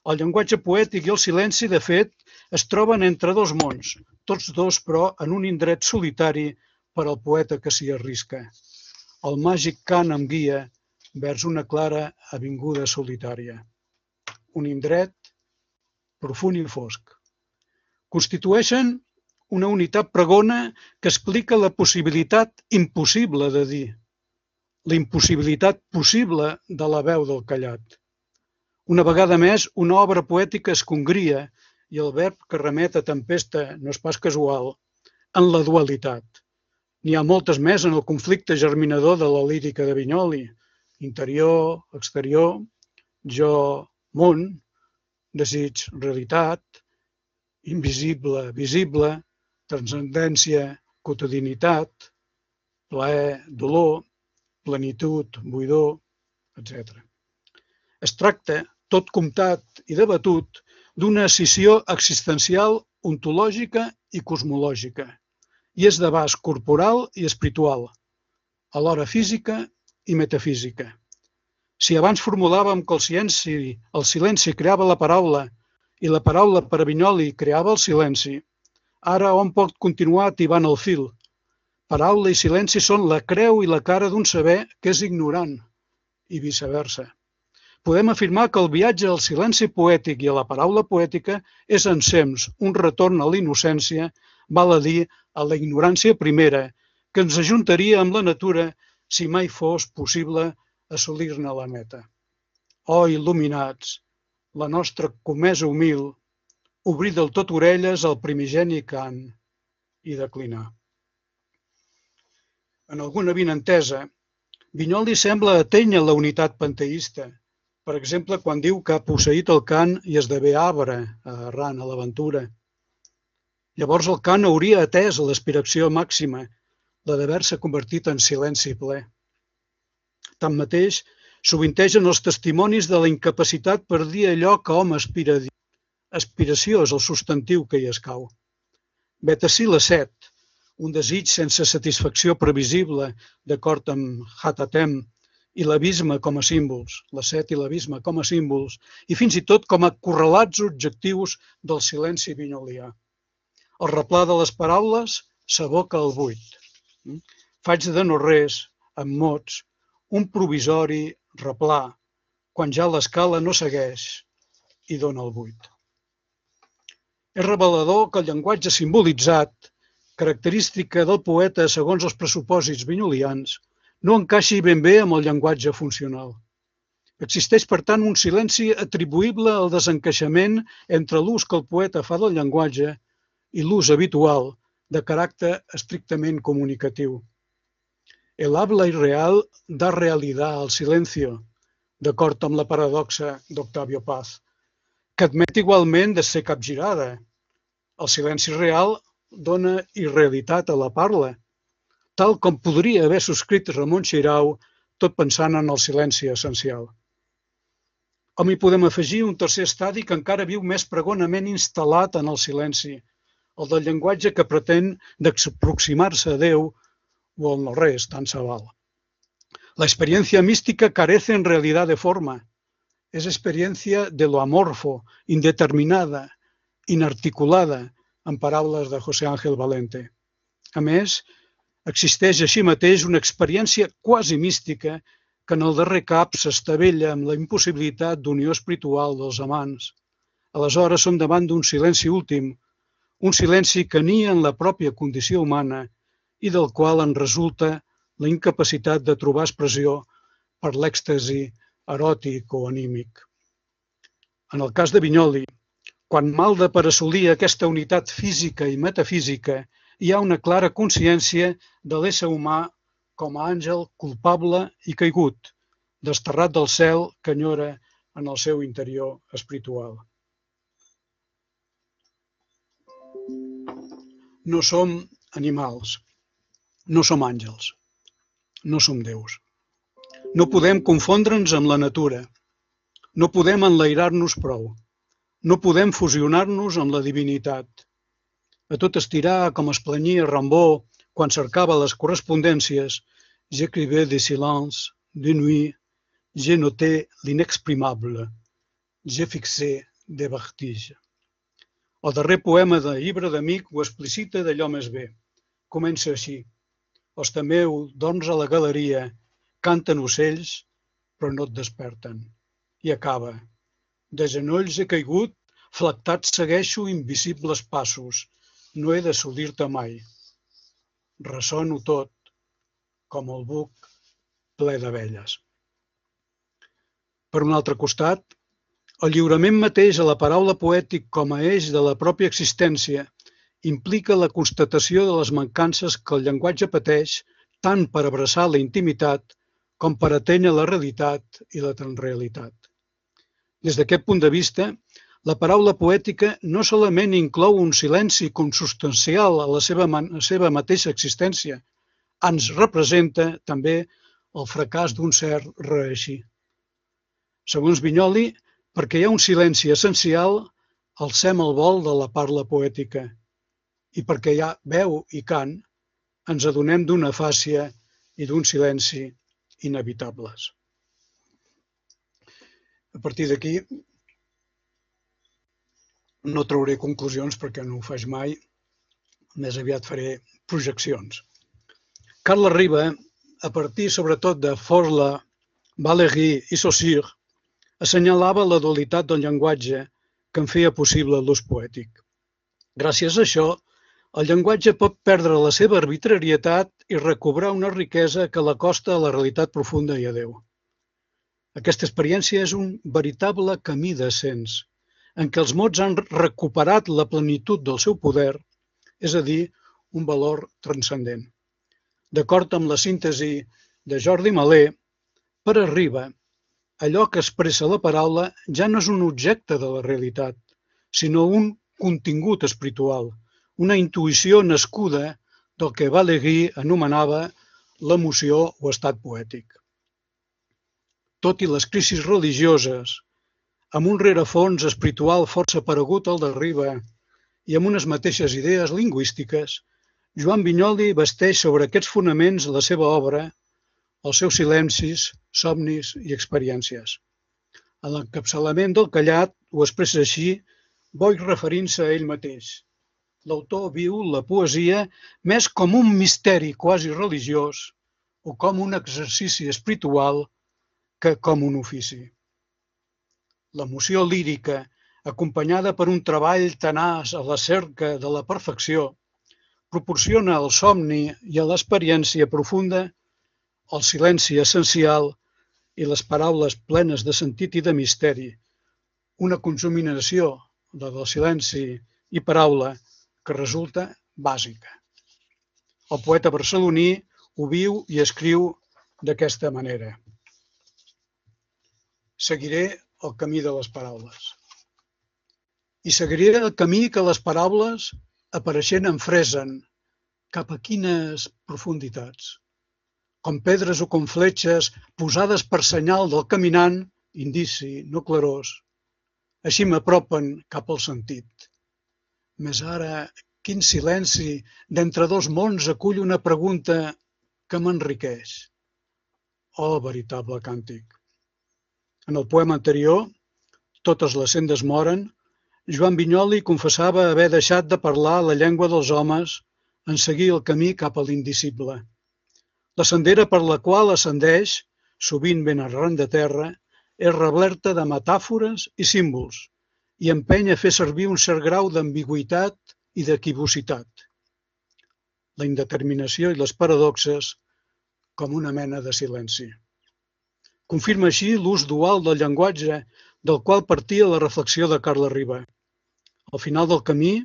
El llenguatge poètic i el silenci, de fet, es troben entre dos mons, tots dos, però, en un indret solitari per al poeta que s'hi arrisca. El màgic cant em guia vers una clara avinguda solitària. Un indret profund i fosc. Constitueixen una unitat pregona que explica la possibilitat impossible de dir, la impossibilitat possible de la veu del callat. Una vegada més, una obra poètica es congria, i el verb que remet a tempesta no és pas casual, en la dualitat. N'hi ha moltes més en el conflicte germinador de la lírica de Vinyoli: interior, exterior, jo, món, desig, realitat, invisible, visible, transcendència, quotidianitat, plaer, dolor, plenitud, buidor, etc. Es tracta, tot comptat i debatut, d'una escissió existencial, ontològica i cosmològica, i és d'abast corporal i espiritual, alhora física i metafísica. Si abans formulàvem que el silenci creava la paraula i la paraula per a Vinyoli creava el silenci, ara hom pot continuar tibant el fil. Paraula i silenci són la creu i la cara d'un saber que és ignorant, i viceversa. Podem afirmar que el viatge al silenci poètic i a la paraula poètica és ensems un retorn a la innocència, val a dir, a la ignorància primera, que ens ajuntaria amb la natura si mai fos possible assolir-ne la meta. Oh, il·luminats, la nostra comesa humil, obrir del tot orelles al primigeni cant i declinar. En alguna avinentesa, Vinyoli sembla atènyer la unitat panteista, per exemple, quan diu que ha posseït el cant i esdevé arbre, errant a l'aventura. Llavors el cant hauria atès l'aspiració màxima, la d'haver-se convertit en silenci ple. Tanmateix, sovintegen els testimonis de la incapacitat per dir allò que hom aspira a dir. Aspiració és el substantiu que hi escau. Vet ací la set, un desig sense satisfacció previsible, d'acord amb Hatatem, i l'abisme com a símbols, la set i l'abisme com a símbols, i fins i tot com a correlats objectius del silenci vinyolià. El replà de les paraules s'aboca al buit. Faig de no res, amb mots, un provisori replà, quan ja l'escala no segueix i dona el buit. És revelador que el llenguatge simbolitzat, característica del poeta segons els pressupòsits vinyolians, no encaixi ben bé amb el llenguatge funcional. Existeix, per tant, un silenci atribuïble al desencaixament entre l'ús que el poeta fa del llenguatge i l'ús habitual de caràcter estrictament comunicatiu. El habla irreal da realidad al silencio, d'acord amb la paradoxa d'Octavio Paz, que admet igualment de ser capgirada. El silenci real dona irrealitat a la parla, tal com podria haver subscrit Ramon Xirau, tot pensant en el silenci essencial. Hom hi podem afegir un tercer estadi que encara viu més pregonament instal·lat en el silenci, el del llenguatge que pretén d'aproximar-se a Déu o al no res, tant se val. La experiencia mística carece en realidad de forma. Es experiencia de lo amorfo, indeterminada, inarticulada, en paraules de José Ángel Valente. A més, Existeix així mateix una experiència quasi mística que en el darrer cap s'estavella amb la impossibilitat d'unió espiritual dels amants. Aleshores som davant d'un silenci últim, un silenci que nia en la pròpia condició humana i del qual en resulta la incapacitat de trobar expressió per l'èxtasi eròtic o anímic. En el cas de Vinyoli, quan malda per assolir aquesta unitat física i metafísica, hi ha una clara consciència de l'ésser humà com a àngel culpable i caigut, desterrat del cel que enyora en el seu interior espiritual. No som animals, no som àngels, no som déus. No podem confondre'ns amb la natura, no podem enlairar-nos prou, no podem fusionar-nos amb la divinitat. A tot estirar, com es planyia Rimbaud quan cercava les correspondències, j'écrivais des silences, de nuit, j'ai noté l'inexprimable, j'ai fixé des vertiges. El darrer poema de Llibre d'Amic ho explicita d'allò més bé. Comença així. Els temeu, dorms a la galeria, canten ocells, però no et desperten. I acaba. De genolls he caigut, flectat segueixo invisibles passos. No he d'assolir-te mai. Ressono tot, com el buc ple d'abelles. Per un altre costat, el lliurament mateix a la paraula poètic com a eix de la pròpia existència implica la constatació de les mancances que el llenguatge pateix tant per abraçar la intimitat com per atènyer la realitat i la transrealitat. Des d'aquest punt de vista, la paraula poètica no solament inclou un silenci consubstancial a la seva mateixa existència, ens representa també el fracàs d'un cert reeixir. Segons Vinyoli, perquè hi ha un silenci essencial, alcem el vol de la parla poètica. I perquè hi ha veu i cant, ens adonem d'una afàsia i d'un silenci inevitables. A partir d'aquí, no trauré conclusions perquè no ho faig mai, més aviat faré projeccions. Carles Riba, a partir sobretot de Forla, Valéry i Saussure, assenyalava la dualitat del llenguatge que en feia possible l'ús poètic. Gràcies a això, el llenguatge pot perdre la seva arbitrarietat i recobrar una riquesa que l'acosta a la realitat profunda i a Déu. Aquesta experiència és un veritable camí d'ascens, en què els mots han recuperat la plenitud del seu poder, és a dir, un valor transcendent. D'acord amb la síntesi de Jordi Malé, per a Riba, allò que expressa la paraula ja no és un objecte de la realitat, sinó un contingut espiritual, una intuïció nascuda del que Valéry anomenava l'emoció o estat poètic. Tot i les crisis religioses, amb un rerefons espiritual força paregut al de Riba i amb unes mateixes idees lingüístiques, Joan Vinyoli basteix sobre aquests fonaments la seva obra, els seus silencis, somnis i experiències. En l'encapçalament del callat ho expressa així, Boix referint-se a ell mateix. L'autor viu la poesia més com un misteri quasi religiós o com un exercici espiritual que com un ofici. L'emoció lírica, acompanyada per un treball tenaç a la cerca de la perfecció, proporciona al somni i a l'experiència profunda el silenci essencial i les paraules plenes de sentit i de misteri, una conjuminació del silenci i paraula que resulta bàsica. El poeta barceloní ho viu i escriu d'aquesta manera. Seguiré el camí de les paraules. I seguiré el camí que les paraules apareixent em fresen cap a quines profunditats. Com pedres o com fletxes posades per senyal del caminant, indici, no clarós. Així m'apropen cap al sentit. Més ara, quin silenci d'entre dos mons acull una pregunta que m'enriqueix. Oh, veritable càntic! En el poema anterior, Totes les sendes moren, Joan Vinyoli confessava haver deixat de parlar la llengua dels homes en seguir el camí cap a l'indicible. La sendera per la qual ascendeix, sovint ben arran de terra, és replerta de metàfores i símbols i empeny a fer servir un cert grau d'ambigüitat i d'equivocitat. La indeterminació i les paradoxes com una mena de silenci. Confirma així l'ús dual del llenguatge del qual partia la reflexió de Carles Riba. Al final del camí,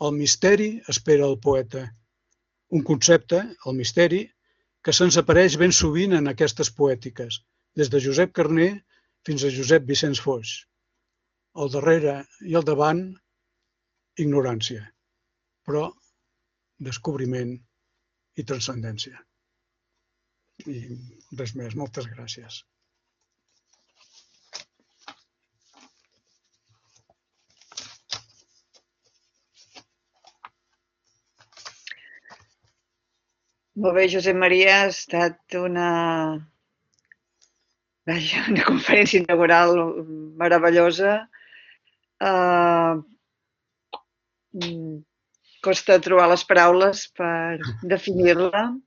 el misteri espera el poeta. Un concepte, el misteri, que se'ns apareix ben sovint en aquestes poètiques, des de Josep Carner fins a Josep Vicenç Foix. Al darrere i al davant, ignorància, però descobriment i transcendència. I res més, moltes gràcies. Molt bé, Josep Maria, ha estat una conferència inaugural meravellosa. Costa trobar les paraules per definir-la.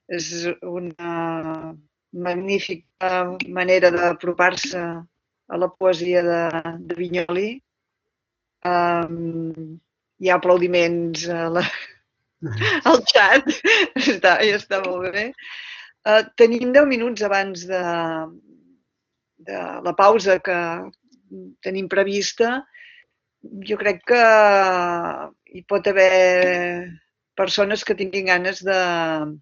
És una magnífica manera d'apropar-se a la poesia de Vinyoli. Hi ha aplaudiments al xat, està molt bé. Tenim 10 minuts abans de la pausa que tenim prevista. Jo crec que hi pot haver persones que tinguin ganes de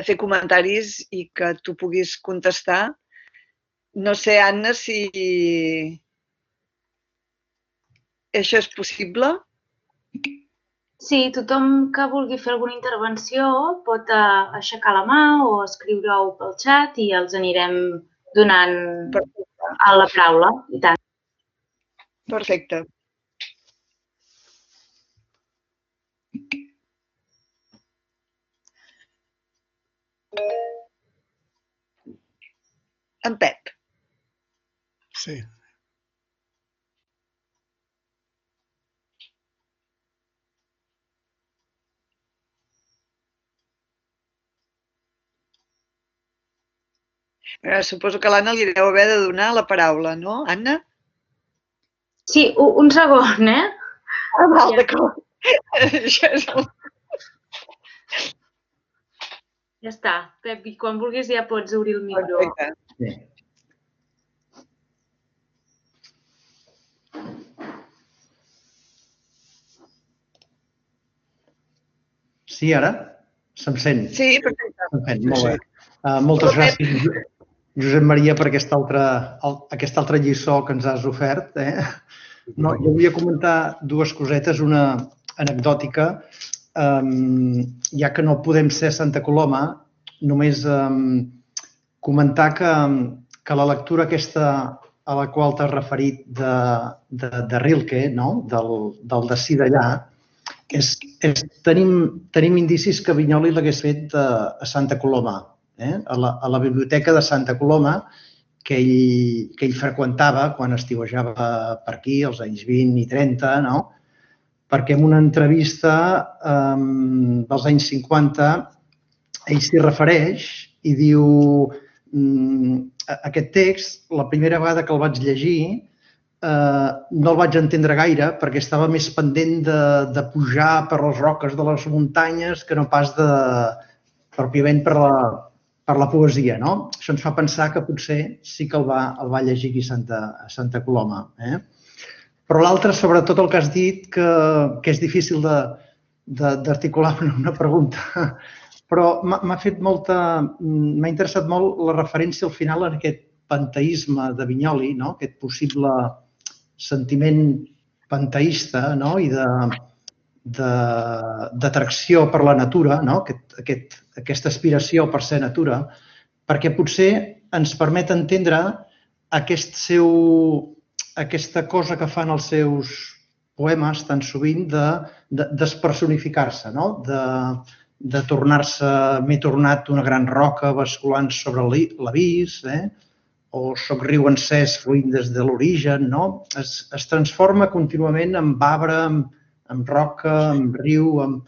fer comentaris i que tu puguis contestar. No sé, Anna, si això és possible. Sí, tothom que vulgui fer alguna intervenció pot aixecar la mà o escriure-ho pel xat i els anirem donant a la paraula. I tant. Perfecte. En Pep. Sí. Suposo que a l'Anna li deu haver de donar la paraula, no, Anna? Sí, un segon, eh? Val, d'acord. Això és el... Ja està. Pep, i quan vulguis ja pots obrir el micro. Perfecte. Sí, ara? Se'm sent? Sí, perfecte. Se'm sent, molt bé. Moltes gràcies, Josep Maria, per aquesta altra lliçó que ens has ofert. No, jo volia comentar dues cosetes, una anecdòtica. Ja que no podem ser a Santa Coloma, només comentar que la lectura aquesta a la qual t'has referit de Rilke, del d'ací d'allà, tenim indicis que Vinyoli l'hagués fet a Santa Coloma, a la biblioteca de Santa Coloma, que ell freqüentava quan estiuejava per aquí, als anys 20 i 30, no? Perquè en una entrevista dels anys 50 ell s'hi refereix i diu aquest text, la primera vegada que el vaig llegir, no el vaig entendre gaire perquè estava més pendent de pujar per les roques de les muntanyes que no pas pròpiament per la poesia. Això ens fa pensar que potser sí que el va llegir aquí a Santa Coloma. Però l'altre, sobretot el que has dit, que és difícil d'articular una pregunta, però m'ha interessat molt la referència al final en aquest panteisme de Vinyoli, aquest possible sentiment panteista i d'atracció per la natura, aquesta aspiració per ser natura, perquè potser ens permet entendre aquesta cosa que fan els seus poemes tan sovint de despersonificar-se, de tornar-se, m'he tornat una gran roca basculant sobre l'abís, o soc riu encès fluint des de l'origen, es transforma contínuament en arbre, en roca, en riu,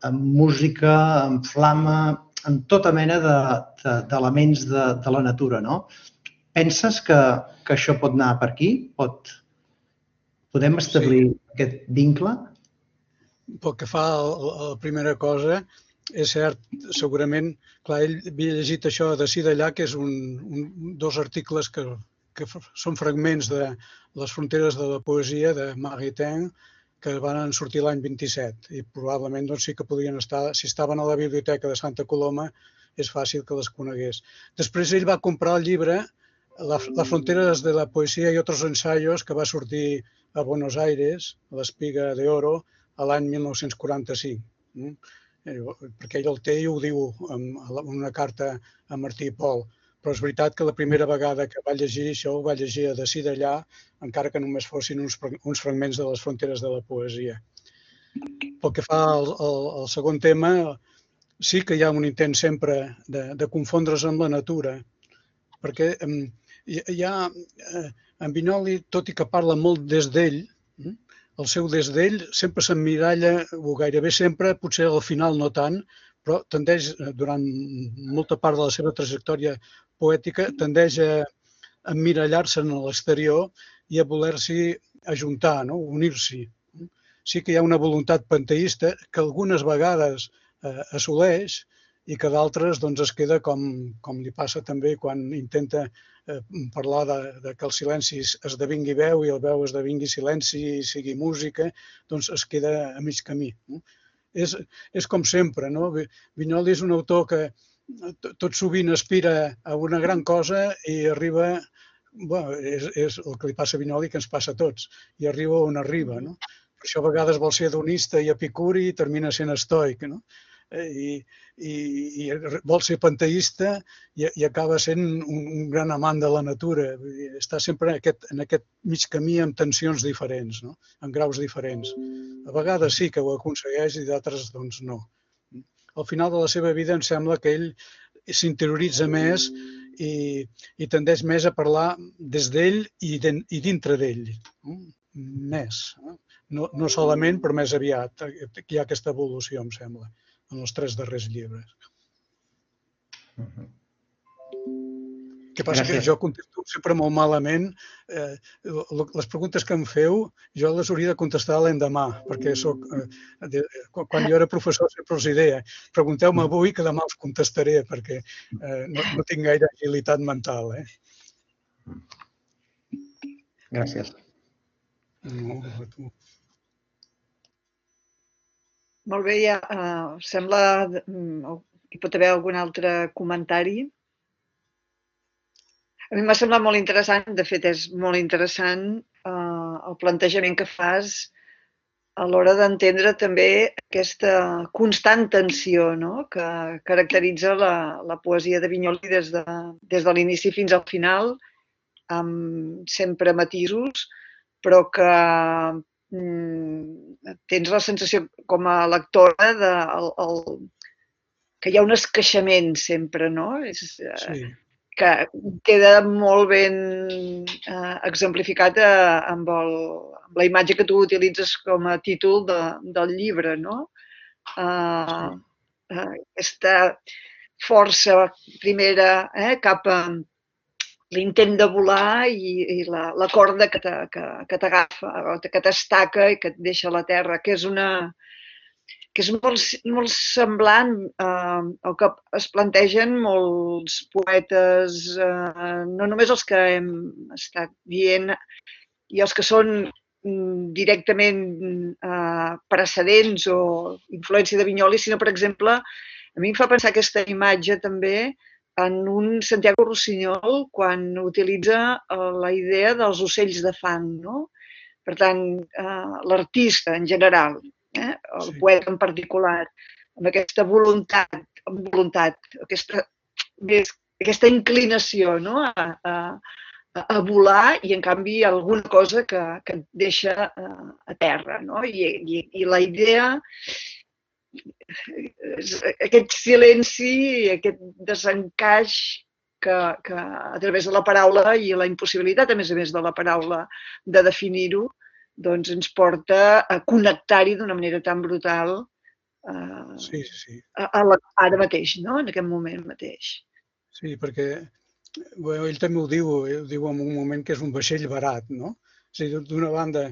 amb música, amb flama, amb tota mena d'elements de la natura, no? Penses que això pot anar per aquí? Podem establir aquest vincle? Pel que fa a la primera cosa, és cert, segurament, clar, ell havia llegit això d'ací d'allà, que és dos articles que són fragments de Les fronteres de la poesia de Maritain, que van sortir l'any 27, i probablement sí que podrien estar, si estaven a la biblioteca de Santa Coloma, és fàcil que les conegués. Després ell va comprar el llibre Las fronteras de la poesía y otros ensayos, que va sortir a Buenos Aires, a l'Espiga d'Oro, l'any 1945. Perquè ell el té i ho diu en una carta a Martí i Pol. Però és veritat que la primera vegada que va llegir això ho va llegir d'ací d'allà, encara que només fossin uns fragments de les fronteres de la poesia. Pel que fa al segon tema, sí que hi ha un intent sempre de confondre's amb la natura, perquè hi ha en Vinyoli, tot i que parla molt des d'ell, el seu des d'ell sempre s'emmiralla, o gairebé sempre, potser al final no tant, però tendeix, durant molta part de la seva trajectòria poètica, tendeix a emmirallar-se en l'exterior i a voler-s'hi ajuntar, unir-s'hi. Sí que hi ha una voluntat panteista que algunes vegades assoleix i que d'altres es queda com li passa també quan intenta parlar de que el silenci esdevingui veu i el veu esdevingui silenci i sigui música, doncs es queda a mig camí. És com sempre, no? Vinyoli és un autor que tot sovint aspira a una gran cosa i arriba, és el que li passa a Vinyoli que ens passa a tots, i arriba on arriba. Per això a vegades vol ser hedonista i epicuri i termina sent estoic, no? I vol ser panteista i acaba sent un gran amant de la natura. Està sempre en aquest mig camí amb tensions diferents, en graus diferents. A vegades sí que ho aconsegueix i d'altres doncs no. Al final de la seva vida em sembla que ell s'interioritza més i tendeix més a parlar des d'ell i dintre d'ell. Més. No solament, però més aviat. Hi ha aquesta evolució, em sembla, en els 3 darrers llibres. El que passa que jo contesto sempre molt malament. Les preguntes que em feu, jo les hauria de contestar l'endemà, perquè quan jo era professor sempre els deia, pregunteu-me avui que demà us contestaré, perquè no tinc gaire agilitat mental. Gràcies. No, a tu. Molt bé, sembla que hi pot haver algun altre comentari. A mi m'ha semblat molt interessant, de fet és molt interessant el plantejament que fas a l'hora d'entendre també aquesta constant tensió que caracteritza la poesia de Vinyoli des de l'inici fins al final, amb sempre matisos, però que tens la sensació com a lectora que hi ha un esqueixament sempre, no? Sí. Que queda molt ben exemplificat amb la imatge que tu utilitzes com a títol del llibre, no? Aquesta força primera cap a l'intent de volar i la corda que t'agafa, que t'estaca i que et deixa a la terra, que és molt semblant al que es plantegen molts poetes, no només els que hem estat dient i els que són directament precedents o influència de Vinyoli, sinó, per exemple, a mi em fa pensar aquesta imatge també en un Santiago Rossinyol quan utilitza la idea dels ocells de fang, no? Per tant, l'artista en general, el poeta en particular, amb aquesta voluntat, aquesta inclinació a volar i, en canvi, alguna cosa que et deixa a terra. I la idea, aquest silenci i aquest desencaix que a través de la paraula i la impossibilitat, a més de la paraula, de definir-ho, doncs ens porta a connectar-hi d'una manera tan brutal Sí, sí. Ara mateix, no? En aquest moment mateix. Sí, perquè ell també ho diu en un moment que és un vaixell barat, no? O sigui, d'una banda,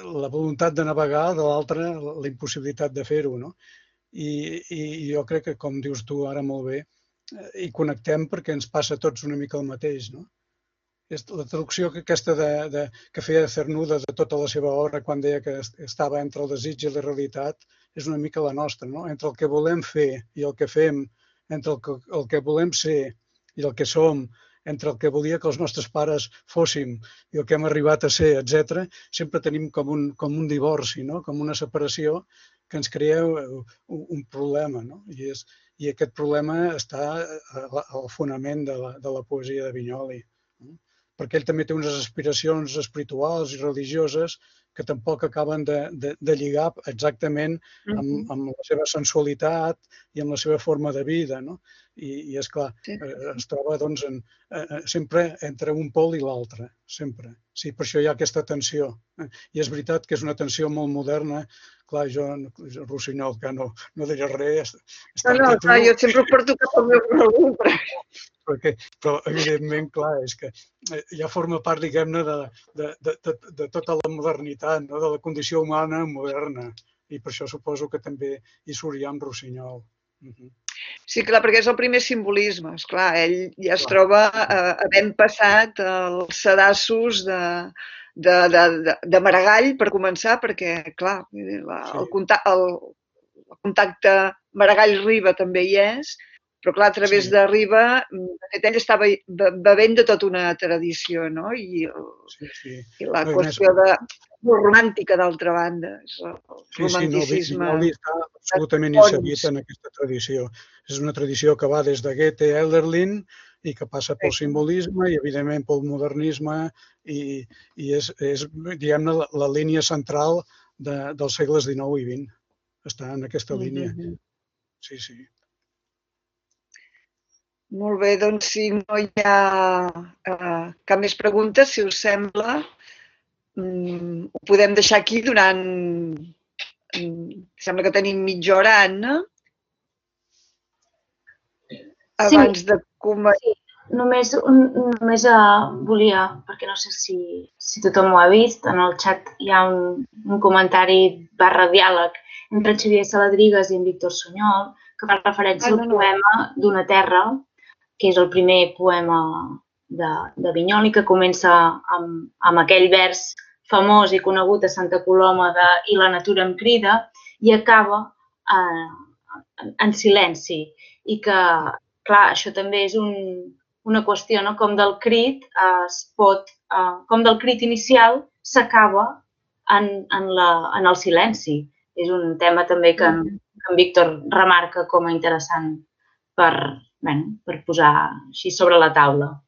la voluntat de navegar, de l'altra, la impossibilitat de fer-ho, no? I jo crec que, com dius tu ara molt bé, hi connectem perquè ens passa a tots una mica el mateix, no? La traducció aquesta que feia Cernuda de tota la seva obra quan deia que estava entre el desig i la realitat és una mica la nostra, no? Entre el que volem fer i el que fem, entre el que volem ser i el que som, entre el que volia que els nostres pares fóssim i el que hem arribat a ser, etc., sempre tenim com un divorci, no? Com una separació que ens crea un problema, no? I aquest problema està al fonament de la poesia de Vinyoli, no? Perquè ell també té unes aspiracions espirituals i religioses que tampoc acaben de lligar exactament amb la seva sensualitat i amb la seva forma de vida, no? I esclar, es troba doncs, sempre entre un pol i l'altre, sempre. Sí, per això hi ha aquesta tensió. I és veritat que és una tensió molt moderna. Clar, jo, Rossinyol, que no diré res. No, clar, jo sempre ho porto cap al meu raó, però evidentment, clar, és que ja forma part, diguem-ne, de tota la modernitat, no? De la condició humana moderna. I per això suposo que també hi surt ja amb Rossinyol. Sí, clar, perquè és el primer simbolisme. Esclar, ell ja es troba havent passat els sedassos de Maragall, per començar, perquè, clar, el contacte Maragall-Riba també hi és, però, clar, a través de Riba, de fet, ell estava bevent de tota una tradició, no? I la qüestió romàntica, d'altra banda, el romanticisme. Vinyoli està absolutament inserit en aquesta tradició. És una tradició que va des de Goethe a Hölderlin i que passa pel simbolisme i, evidentment, pel modernisme i és diguem-ne, la línia central dels segles XIX i XX. Està en aquesta línia. Sí, sí. Molt bé, doncs si no hi ha cap més pregunta, si us sembla, ho podem deixar aquí durant... Sembla que tenim mitja hora, Anna. Abans de començar... Només volia, perquè no sé si tothom ho ha vist, en el xat hi ha un comentari /diàleg entre Xavier Saladrigas i en Víctor Sunyol, que fa referència al poema d'Una terra, que és el primer poema de Vinyoli, que comença amb aquell vers famós i conegut a Santa Coloma de "I la natura em crida" i acaba en silenci. I que, clar, això també és una qüestió, no? Com del crit com del crit inicial s'acaba en el silenci. És un tema també que en Víctor remarca com a interessant per posar així sobre la taula.